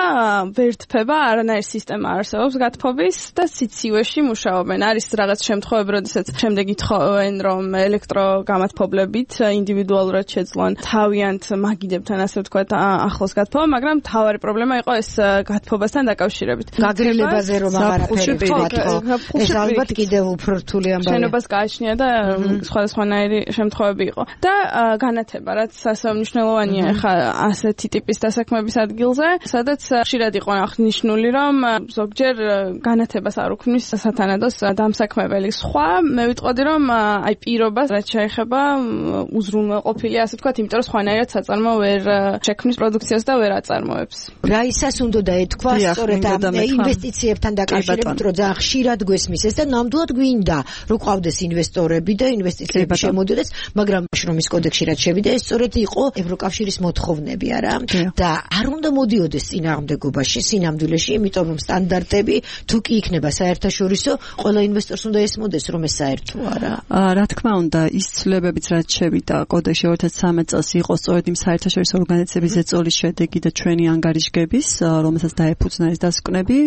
ვერ თფება, არანაირი სისტემა არსებობს გათბობის და სიცივეში მუშაობენ. არის რაღაც შემთხვევები, როდესაც შემდეგ ითხოვენ, რომ ელექტროგამათბობლებით ინდივიდუალურად შეძლონ თავიანთ მაგიდებთან, ასე ვთქვათ, ახლოს გათბობა, მაგრამ თავარი პრობლემა იყო ეს გათბობასთან დაკავშირებით. გაგრილებაზე რომ აღარაფერი გათბო. ეს ალბათ კიდევ უფრო რთული ამბავია. შენობას გააჩნია და სხვადასხვანაირი შემთხვევები იყო. და განათება, რაც ასე მნიშვნელოვანია ხა ასეთი ტიპის დასაქმების ადგილზე, სადაც ხშირად იყო აღნიშნული, რომ ზოგჯერ განათებას არ უქმნის სათანადოს დამსაქმებელი. სხვა მე ვიტყოდი, რომ აი პირობას რაც შეეხება უზრუნველყოფილი, ასე ვთქვათ, იმიტომ რომ სხვანაირად საწარმო ვერ შექმნის პროდუქციას და ვერ აწარმოებს. რა ისას უნდა დაეთქვა სწორედ ამ ინვესტიციებთან დაკავშირებით, რომ ძალიან ხშირად გვესმის ეს და ნამდვილად გვინდა, რომ ყავდეს ინვესტორები და ინვესტიციები შემოდიოდეს, მაგრამ შრომის კოდექსში რაც შევიდა, ეს სწორედ იყო ევროკავშირის მოთხოვნები არა და არ უნდა მოდიოდეს წინააღმდეგობაში სინამდვილეში, იმიტომ რომ სტანდარტები თუ კი იქნება საერთაშორისო, ყველა ინვესტორს უნდა ესმოდეს, რომ ეს საერთო არა. რა თქმა უნდა, ის ცვლილებებიც რაც შევიდა კოდექსში ორი ათას ცხრამეტ წელს იყო სწორედ იმ საერთაშორისო ორგანიზაციების ზეწოლის შედეგი და ჩვენი ანგარიშგების, რომელსაც დაეფუძნა ეს დასკვნები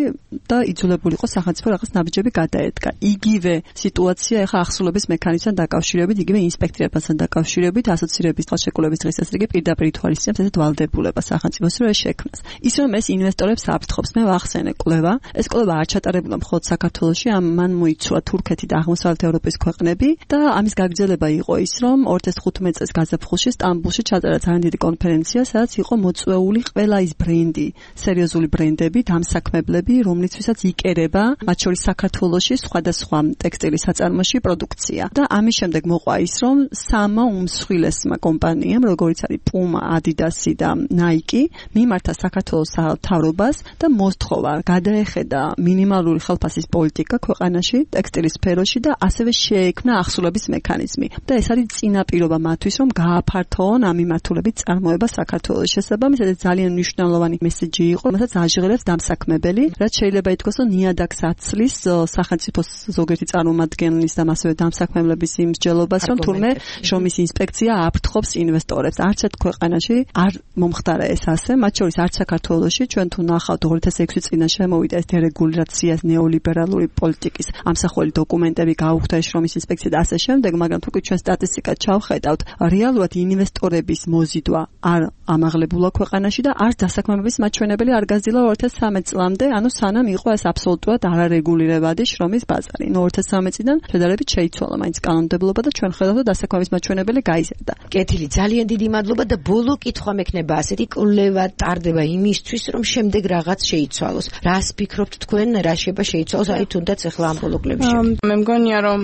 და იძულებული იყო სახელმწიფო რაღაც ნაბიჯები გადაედგა. იგივე სიტუაცია ახლა ახსოვების მექანიზმთან დაკავშირებით, იგივე ინსპექტირებასთან დაკავშირებით, ასოცირების ხელშეკრულების დღესასრიგი პირდაპირ ითვალისწინებს ესეთ ვალდებულება სახელმწიფოს რომ შექმნას. ის რომ ეს ინვესტორებს აფრთხობს, მე ვახსენე კვლევა. ეს კვლევა არ ჩატარებულა მხოლოდ საქართველოში, მან მოიცვა თურქეთი და აღმოსავლეთ ევროპის ქვეყნები და ამის გაგრძელება იყო ის, რომ ორი ათას თხუთმეტ წელს გაზაფხულში სტამბულში ჩატარა ძალიან დიდი კონფერენცია, სადაც იყო მოწვეული ყველა ის ბრენდი, სერიოზული ბრენდები, დამსაქმებლები, რომლისთვისაც იკერება, მათ შორის საქართველოში სხვადასხვა ტექსტილის საწარმოში პროდუქცია. და ამის შემდეგ მოყვა ის, რომ სამა უმსხვილესმა კომპანიამ, როგორიც არის პუმა, ადიდასი და ნაიკი, მიმართა საქართველოს მთავრობას და მოსთხოვა გადაეხედა მინიმალური ხელფასის პოლიტიკა ქვეყანაში, ტექსტილის სფეროში და ასევე შეექმნა ახსულების მექანიზმი. და ეს არის წინაპირობა მათთვის, რომ გააფართოონ ამ მიმართულებით წარმოება საქართველოს. შესაბამისად, ეს ძალიან მნიშვნელოვანი მესეჯი იყო, რომელსაც აჟღერებს დამსაქმებელი, რაც შეიძლება ითქვას, რომ ნიადაგს აცლის სახელმწიფოს ზოგიერთი წარმომადგენლის და ასევე დამსაქმებლების იმ მსჯელობას, რომ თურმე შრომის ინსპექცია აფრთხობს ინვესტორებს. არც ერთ ქვეყანაში არ მომხდარა ეს ასე, მათ შორის არც საქართველოში. ჩვენ თუ ნახავთ ორი ათას ექვსი წინა შემოვიდა ეს დერეგულაციას ნეოლიბერალური პოლიტიკის ამსახველი დოკუმენტები, გაუხდა შრომის ინსპექცია და ასე შემდეგ, მაგრამ თუ კი ჩვენ სტატისტიკად ჩავხედავთ, რეალურად ინვესტორების მოზიდვა არ ამაღლებულა ქვეყანაში და არც დასაქმებების მაჩვენებელი არ გაზრდილა ორი ათას ცხრამეტ წლამდე, ანუ სანამ იყო ეს აბსოლუტურად არარეგულირებადი შრომის ბაზარი. ნუ ორი ათას ცხრამეტ წლიდან შედარებით შეიცვალა მაინც კანონმდებლობა და ჩვენ ხედავთ, რომ დასაქმების მაჩვენებელი გაიზარდა. კეთილი, ძალიან დიდი მადლობა და ბოლო კითხვა მექნება ასეთი კვლევა ტარდება იმისთვის, რომ შემდეგ რაღაც შეიცვალოს. რას ფიქრობთ თქვენ, რა შეიძლება შეიცვალოს, აი თუნდაც ახლა ამ ბოლო კვლევაში? მე მგონია, რომ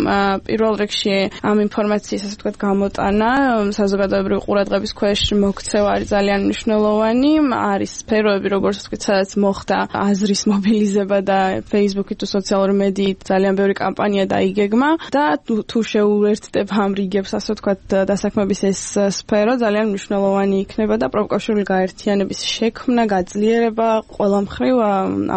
პირველ რიგში ამ ინფორმაციის, ასე ვთქვათ, გამოტანა საზოგადოებრივი ყურადღების ქვეშ მოქცევა არის ძალიან მნიშვნელოვანი. არის სფეროები, როგორც ვთქვით, სადაც მოხდა აზრის მობილიზება და Facebook-ით თუ სოციალური მედიით ძალიან ბევრი კამპანია დაიგეგმა და თუ შეუერთდება ამ რიგებს, ასე ვთქვათ, დასაქმების ეს სფერო ძალიან მნიშვნელოვანი იქნება და პროფკავშირული გაერთიანების შექმნა, გაძლიერება ყველა მხრივ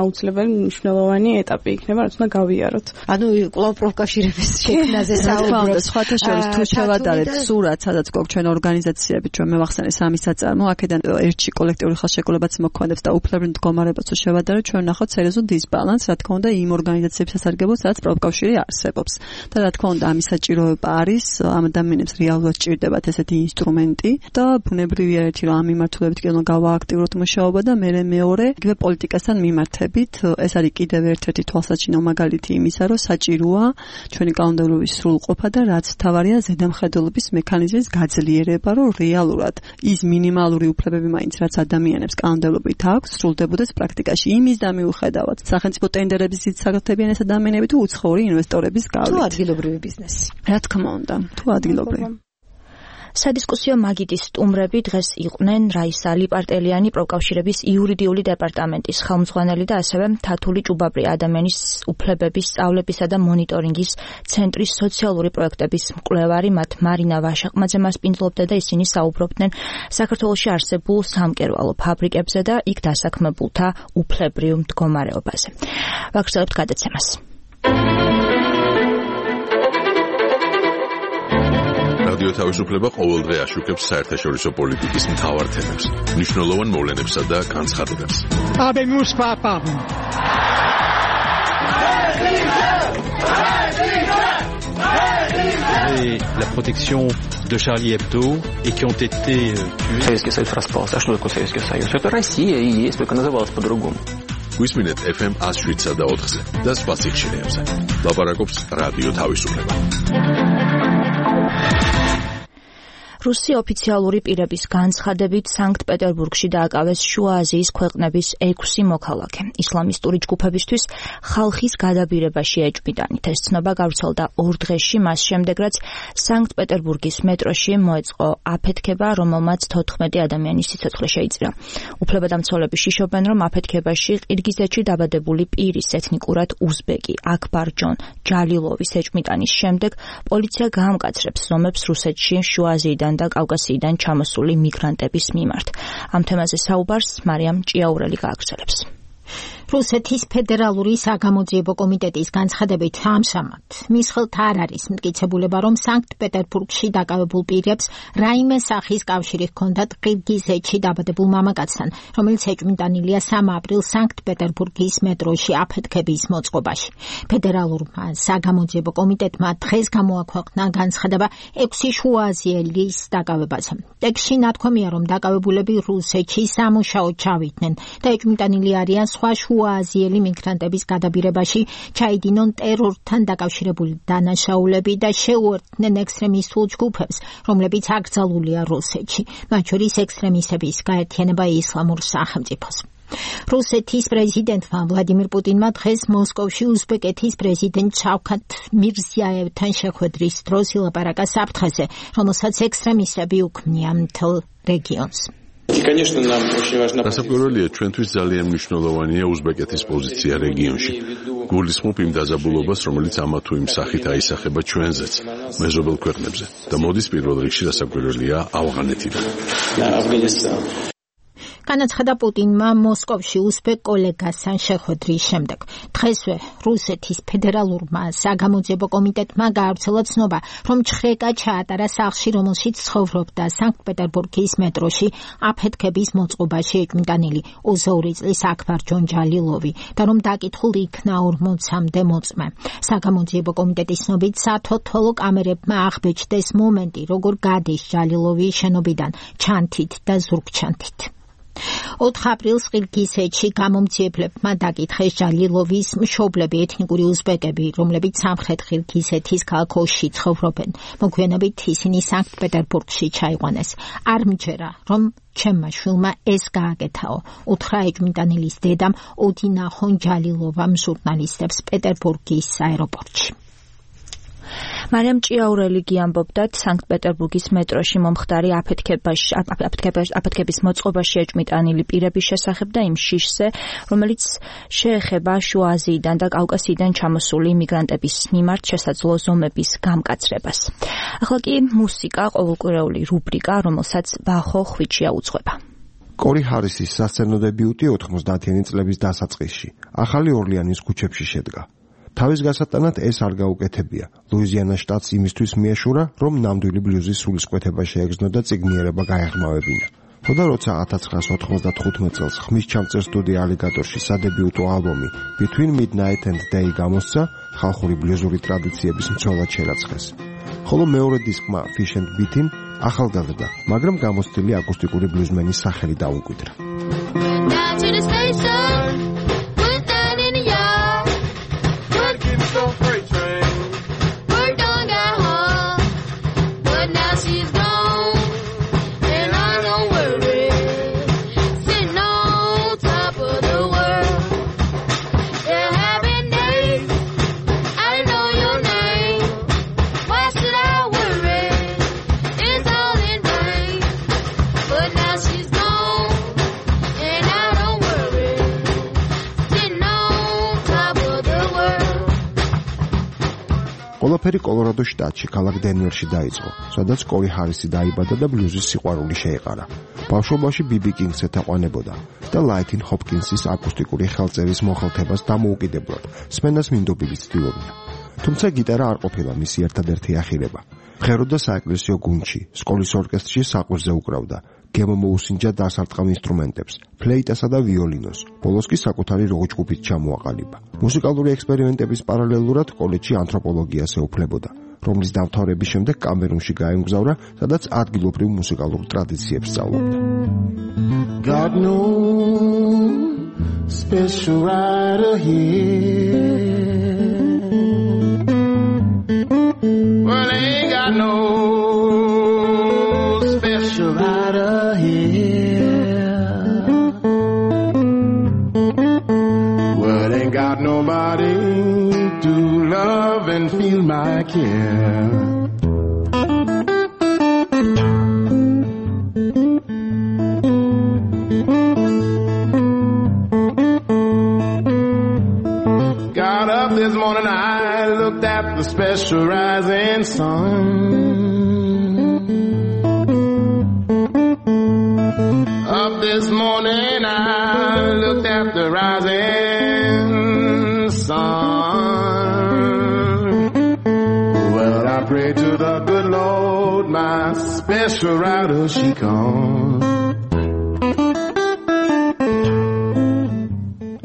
აუცილებელი მნიშვნელოვანი ეტაპი იქნება, რაც უნდა გავიაროთ. ანუ კვლავ პროფკავშირების შექმნაზე საუბრობთ. სხვათა შორის თუ შევატარებთ სურათს, სადაც გვაქვს ჩვენ ორგანიზაციები, ჩვენ მევახსენე სამი საწარმო, აქედან ერთში კოლექტიური ხელშეკრულებაც მოქმედებს და უფლებრივ მდგომარეობაც თუ შევატარებთ, ჩვენ ნახავთ სერიოზულ დისბალანსს, რა თქმა უნდა, იმ ორგანიზაციების სასარგებლოდ, სადაც პროფკავშირი არსებობს. და რა თქმა უნდა, ამის საჭიროება არის, ამ ადამიანებს რეალურად ჭირდებათ ესეთი ინსტრუმენტი და ბუნებრივია ერთი, რომ ამ მიმართულებით კიდევ გავააქტიუროთ მუშაობა და მერე მეორე, იგივე პოლიტიკასთან მიმართებით, ეს არის კიდევ ერთ-ერთი თვალსაჩინო მაგალითი იმისა, რომ საჭიროა ჩვენი კანონმდებლობის სრულყოფა და რაც თავარია ზედამხედველობის მექანიზმის გაძლიერება, რომ რეალურად ის მინიმალური უფლებები მაინც რაც ადამიანებს კანონმდებლობით აქვს, სრულდებოდეს პრაქტიკაში. იმის და მიუხედავად, სახელმწიფო ტენდერების საგრძნობიან ეს ადამიანები თუ უცხოური ინვესტორების გავლით. თუ ადგილობრივი ბიზნესი. რა თქმა უნდა, თუ ადგილობრივი. სადისკუსიო მაგიდის სტუმრები დღეს იყვნენ რაისა ლიპარტელიანი პროკავშირების იურიდიული დეპარტამენტის ხელმძღვანელი და ასევე თათული ჭუბაბრი ადამიანის უფლებების სწავლებისა და მონიტორინგის ცენტრის სოციალური პროექტების მკვლევარი მათ მარინა ვაშაყმაძე მასპინძლობდა და ისინი საუბრობდნენ საქართველოში არსებულ სამკერვალო ფაბრიკებზე და იქ დასაქმებულთა უფლებრივ მდგომარეობაზე. ვაგრძელებთ გადაცემას. რადიო თავისუფლება ყოველდღე აშუქებს საერთაშორისო პოლიტიკის მთავარ თემებს, მნიშვნელოვან მოვლენებსა და განცხადებებს. Habemus papam. Et la protection de Charlie Hebdo et qui ont été tués. Советский Союз распался. А что такое Советский Союз? Это Россия и есть, только называлась по-другому. გვისმინეთ эф эм one oh seven და ოთხზე და სხვა სიხშირეებზე. ლაპარაკობს რადიო თავისუფლება. რუსი ოფიციალური პირების განცხადებით სანქტ-პეტერბურგში დააკავეს შუა აზიის ქვეყნების ექვსი მოქალაქე. ისლამისტური ჯგუფებისთვის ხალხის გადაბირებაში ეჭვმიტანით. ეს ცნობა გავრცელდა ორ დღეში, მას შემდეგ რაც სანქტ-პეტერბურგის მეტროში მოეწყო აფეთქება, რომელმაც თოთხმეტი ადამიანის სიცოცხლე შეიწირა. უფლებადამცველები შიშობენ, რომ აფეთქებაში ყირგიზეთში დაბადებული პირის ეთნიკურად უზბეკი აქბარჯონ ჯალილოვის ეჭვმიტანის შემდეგ პოლიცია გაამკაცრებს ზომებს რუსეთში შუა აზიიდან და კავკასიიდან ჩამოსული მიგრანტების მიმართ. ამ თემაზე საუბარს მარიამ ჭიაურელი გააგრძელებს. რუსეთის ფედერალური საგამოძიებო კომიტეტის განცხადებით ამჟამად მის ხელთ არ არის მტკიცებულება, რომ სანქტ-პეტერბურგში დაკავებულ პირებს რაიმე სახის კავშირი ჰქონდათ ყირგიზეთში დაბადებულ მამაკაცთან, რომელიც ეჭვმიტანილია სამი აპრილს სანქტ-პეტერბურგის მეტროში აფეთქების მოწყობაში. ფედერალურმა საგამოძიებო კომიტეტმა დღეს გამოაქვეყნა განცხადება ექვსი შუააზიელის დაკავებაზე. ტექსტში ნათქვამია, რომ დაკავებულები რუსეთში სამუშაოდ ჩავიდნენ და ეჭვმიტანილი არიან სხვა შუააზიელი მიგრანტების გადაბირებაში ჩაიდინონ ტერორთან დაკავშირებული დანაშაულები და შეუერთდნენ ექსტრემისტულ ჯგუფებს, რომლებიც აკრძალულია რუსეთში, მათ შორის ექსტრემისტების გაერთიანება ისლამურ სახელმწიფოს. რუსეთის პრეზიდენტმა ვლადიმირ პუტინმა დღეს მოსკოვში უზბეკეთის პრეზიდენტ შავქათ მირზიაევთან შეხვედრის დროს ილაპარაკა საფრთხეზე, რომელსაც ექსტრემისტები უქმნიან მთელ რეგიონს. დასაკვირველია, ჩვენთვის ძალიან მნიშვნელოვანია უზბეკეთის პოზიცია რეგიონში. გულისხმობ იმ დაძაბულობას, რომელიც ამა თუ იმ სახით აისახება ჩვენზეც, მეზობელ ქვეყნებზე და მოდის პირველ რიგში დასაკვირველია ავღანეთიდან. განაცხადა პუტინმა მოსკოვში უზბეკ კოლეგასთან შეხვედრის შემდეგ. დღესვე რუსეთის ფედერალურმა საგამოძიებო კომიტეტმა გაავრცელა ცნობა, რომ ჩხრეკა ჩაატარა სახლში, რომელშიც ცხოვრობდა სანქტ-პეტერბურგის მეტროში აფეთქების მოწყობაში ეჭვმიტანილი ოცდაორი წლის აქბარჯონ ჯალილოვი და რომ დაკითხულ იქნა ორმოცამდე მოწმე. საგამოძიებო კომიტეტის ცნობით სათვალთვალო კამერებმა აღბეჭდეს მომენტი, როგორ გადის ჯალილოვი შენობიდან ჩანთით და ზურგჩანთით. ოთხ აპრილს ყირგიზეთში გამომძიებლებმა დაკითხეს ჯალილოვის მშობლები ეთნიკური უზბეკები, რომლებიც სამხრეთ ყირგიზეთის ქალაქ ოში ცხოვრობენ. მოგვიანებით ისინი სანქტ-პეტერბურგში ჩაიყვანეს. არ მჯერა, რომ ჩემმა შვილმა ეს გააკეთაო, უთხრა ეჭვმიტანილის დედამ ოდინა ხონჯალილოვამ ჟურნალისტებს პეტერბურგის აეროპორტში. მარიამ ჭიაურელი გიამბობდათ სანქტ-პეტერბურგის მეტროში მომხდარი აფეთქების მოწყობაში ეჭვმიტანილი პირების შესახებ და იმ შიშზე, რომელიც შეეხება შუა აზიიდან და კავკასიიდან ჩამოსული იმიგრანტების მიმართ შესაძლო ზომების გამკაცრებას. ახლა კი მუსიკა, ყოველკვირეული რუბრიკა, რომელსაც ბახო ხვიჩია უძღვება. კორი ჰარისის სასცენო დებიუტი ოთხმოცდაათიანი წლების დასაწყისში ახალი ორლეანის ქუჩებში შედგა. თავის გასატანად ეს არ გაუკეთებია. ლუიზიანა შტატს იმისთვის მიეშურა, რომ ნამდვილი ბლუზის სულისკვეთება შეეგრძნო და წიგნიერება გაეღრმავებინა. ხოდა როცა ათას ცხრაასი ოთხმოცდახუთი წელს ხმის ჩამწერ სტუდია ალიგატორში სადებიუტო ალბომი Between Midnight and Day გამოსცა, ხალხური ბლუზური ტრადიციების მცველად შერაცხეს. ხოლო მეორე დისკმა Fish and Beatin ახალგაზრდა, მაგრამ გამოცდილი აკუსტიკური ბლუზმენის სახელი დაუკვირდა. It's all ყველაფერი კოლორადოს შტატში, ქალაქ დენვერში დაიწყო, სადაც კორი ჰარისი დაიბადა და ბლუზის სიყვარული შეეყარა. ბავშვობაში ბიბი კინგს ეთაყვანებოდა და ლაითინ ჰოპკინსის აკუსტიკური ხელწერის მოხელთებას დამოუკიდებლად სმენას მინდობილი ცდილობდა. თუმცა გიტარა არ ყოფილა მისი ერთადერთი ახირება. მღეროდა საეკლესიო გუნდში, სკოლის ორკესტრში საყვირზე უკრავდა. გემო მოუსინჯა დასარტყამ ინსტრუმენტებს, ფლეიტასა და ვიოლინოს. ბოლოს კი საკუთარი როკ-ჯგუფით ჩამოაყალიბა. მუსიკალური ექსპერიმენტების პარალელურად კოლეჯში ანთროპოლოგიას ეუფლებოდა, რომლის დამთავრების შემდეგ კამერუნში გაემგზავრა, სადაც ადგილობრივ მუსიკალურ ტრადიციებს სწავლობდა. God knows special rider here. Well, ain't got no special rider here. Well, ain't got nobody to love and feel my care. Got up this morning, I looked at the special rising sun. Up this morning, I looked at the rising sun. Well, I pray to the good Lord, my special rider, she comes.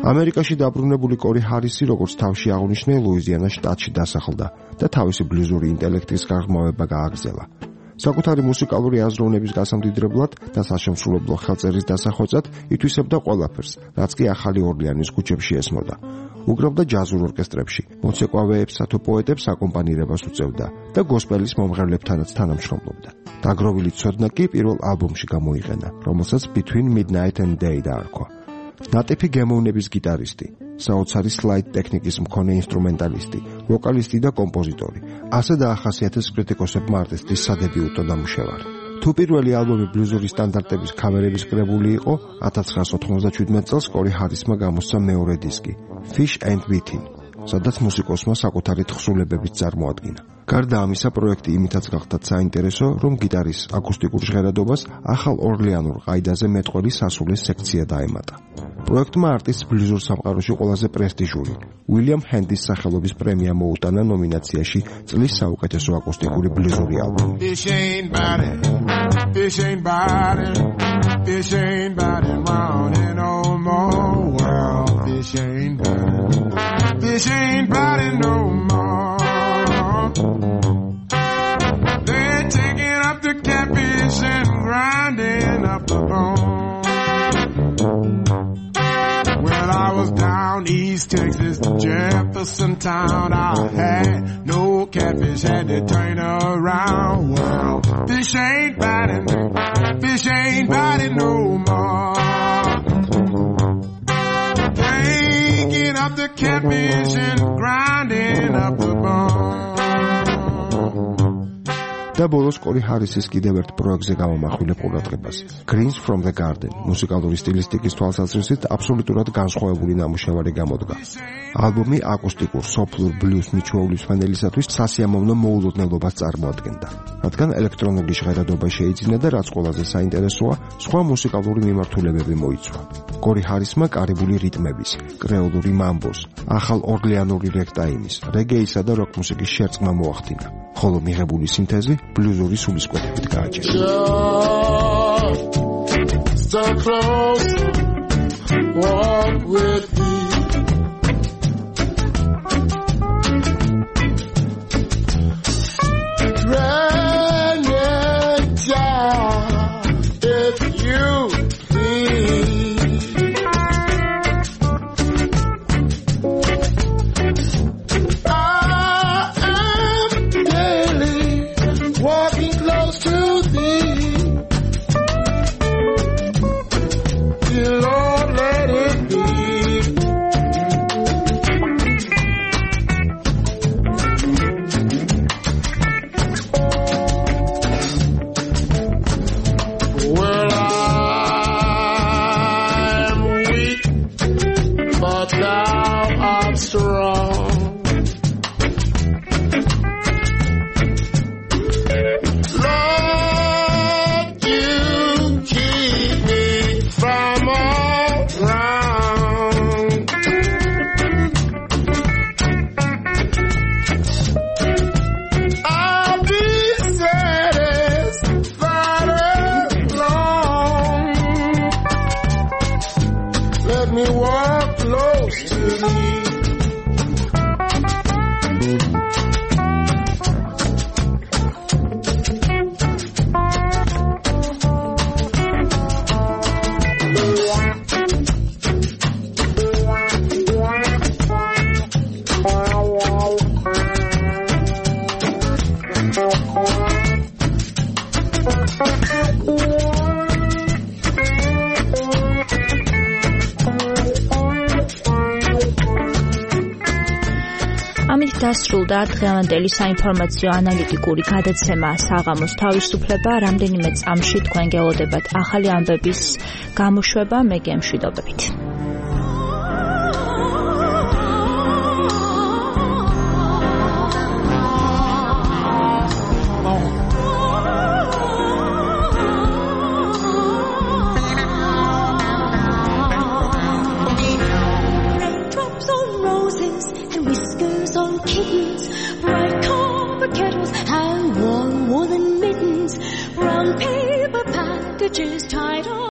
ამერიკაში დაბრუნებული კორი ჰარისი, როგორც თავში აღნიშნე, ლუიზიანას შტატში დასახლდა და თავისი ბლუზური ინტელექტის გაღრმავება გააგრძელა. საკუთარი მუსიკალური აზროვნების გასამდიდრებლად და საშემსრულებლო ხელწერის დასახვეწად ითვისებდა ყველაფერს, რაც კი ახალი ორლეანის ქუჩებში ესმოდა. უკრავდა ჯაზურ ორკესტრებში, მოცეკვავეებსა თუ პოეტებს აკომპანირებას უწევდა და გოსპელის მომღერლებთანაც თანამშრომლობდა. დაგროვილი ცოდნა კი პირველ ალბომში გამოიყენა, რომელსაც Between Midnight and Day დაარქვა. ნატიფი გემოვნების გიტარისტი, საოცარი სლაიდ ტექნიკის მქონე ინსტრუმენტალისტი, ვოკალისტი და კომპოზიტორი. ასე დაახასიათეს კრიტიკოსებმა არტისტის სადებიუტო ნამუშევარი. თუ პირველი ალბომი ბლუზური სტანდარტების ქავერების კრებული იყო, ათას ცხრაას ოთხმოცდაჩვიდმეტ წელს კორი ჰარისმა გამოსცა მეორე დისკი, Fish and Wheatin, სადაც მუსიკოსმა საკუთარი თხზულებებით წარმოადგინა. გარდა ამისა, პროექტი იმითაც გახდა საინტერესო, რომ გიტარის აკუსტიკურ ჟღერადობას ახალ ორლეანურ ყაიდაზე მეტყველი სასულე სექცია დაემატა. პროექტმა არტისტს ბლუზურ სამყაროში ყველაზე პრესტიჟული უილიამ ჰენდის სახელობის პრემია მოუტანა ნომინაციაში წლის საუკეთესო აკუსტიკური ბლუზური ალბომი. Fish ain't biting, fish ain't biting, fish ain't biting round here no more. Well, fish ain't biting, fish ain't biting no more. They're taking up the catfish and grinding up the bone. Well, I was down East Texas, Jefferson Town. I had no catfish, had to turn around. Well, fish ain't biting, fish ain't biting no more. Taking up the catfish and grinding up the bone. და ბოლოს კორი ჰარისის კიდევ ერთ პროექტზე გამომახვილებ ყურადღებას. Greens from the Garden, მუსიკალური სტილისტიკის თვალსაზრისით აბსოლუტურად განსხვავებული ნამუშევარი გამოდგა. ალბომი აკუსტიკურ, სოფლურ ბლუზ მიჩვეულის ფანელისათვის სასიამოვნო მოულოდნელობას წარმოადგენდა. რადგან ელექტრონული ჟღერადობა შეიძინა და რაც ყველაზე საინტერესოა, სხვა მუსიკალური მიმართულებები მოიცვა. კორი ჰარისმა კარიბული რიტმების, კრეოლური მამბოს, ახალ ორლეანური რეგტაიმის, რეგეისა და როკ მუსიკის შერწყმა მოახდინა. ხოლო მიღებული სინთეზი ბლუზური სულისკვეთებით გააჩერა. So close, walk with me. Run it down if you please. Well, I me walk close to me. დასრულდა დღევანდელი საინფორმაციო ანალიტიკური გადაცემა საღამოს თავისუფლება. რამდენიმე წამში თქვენ გელოდებათ ახალი ამბების გამოშვება. მე გემშვიდობებით. Just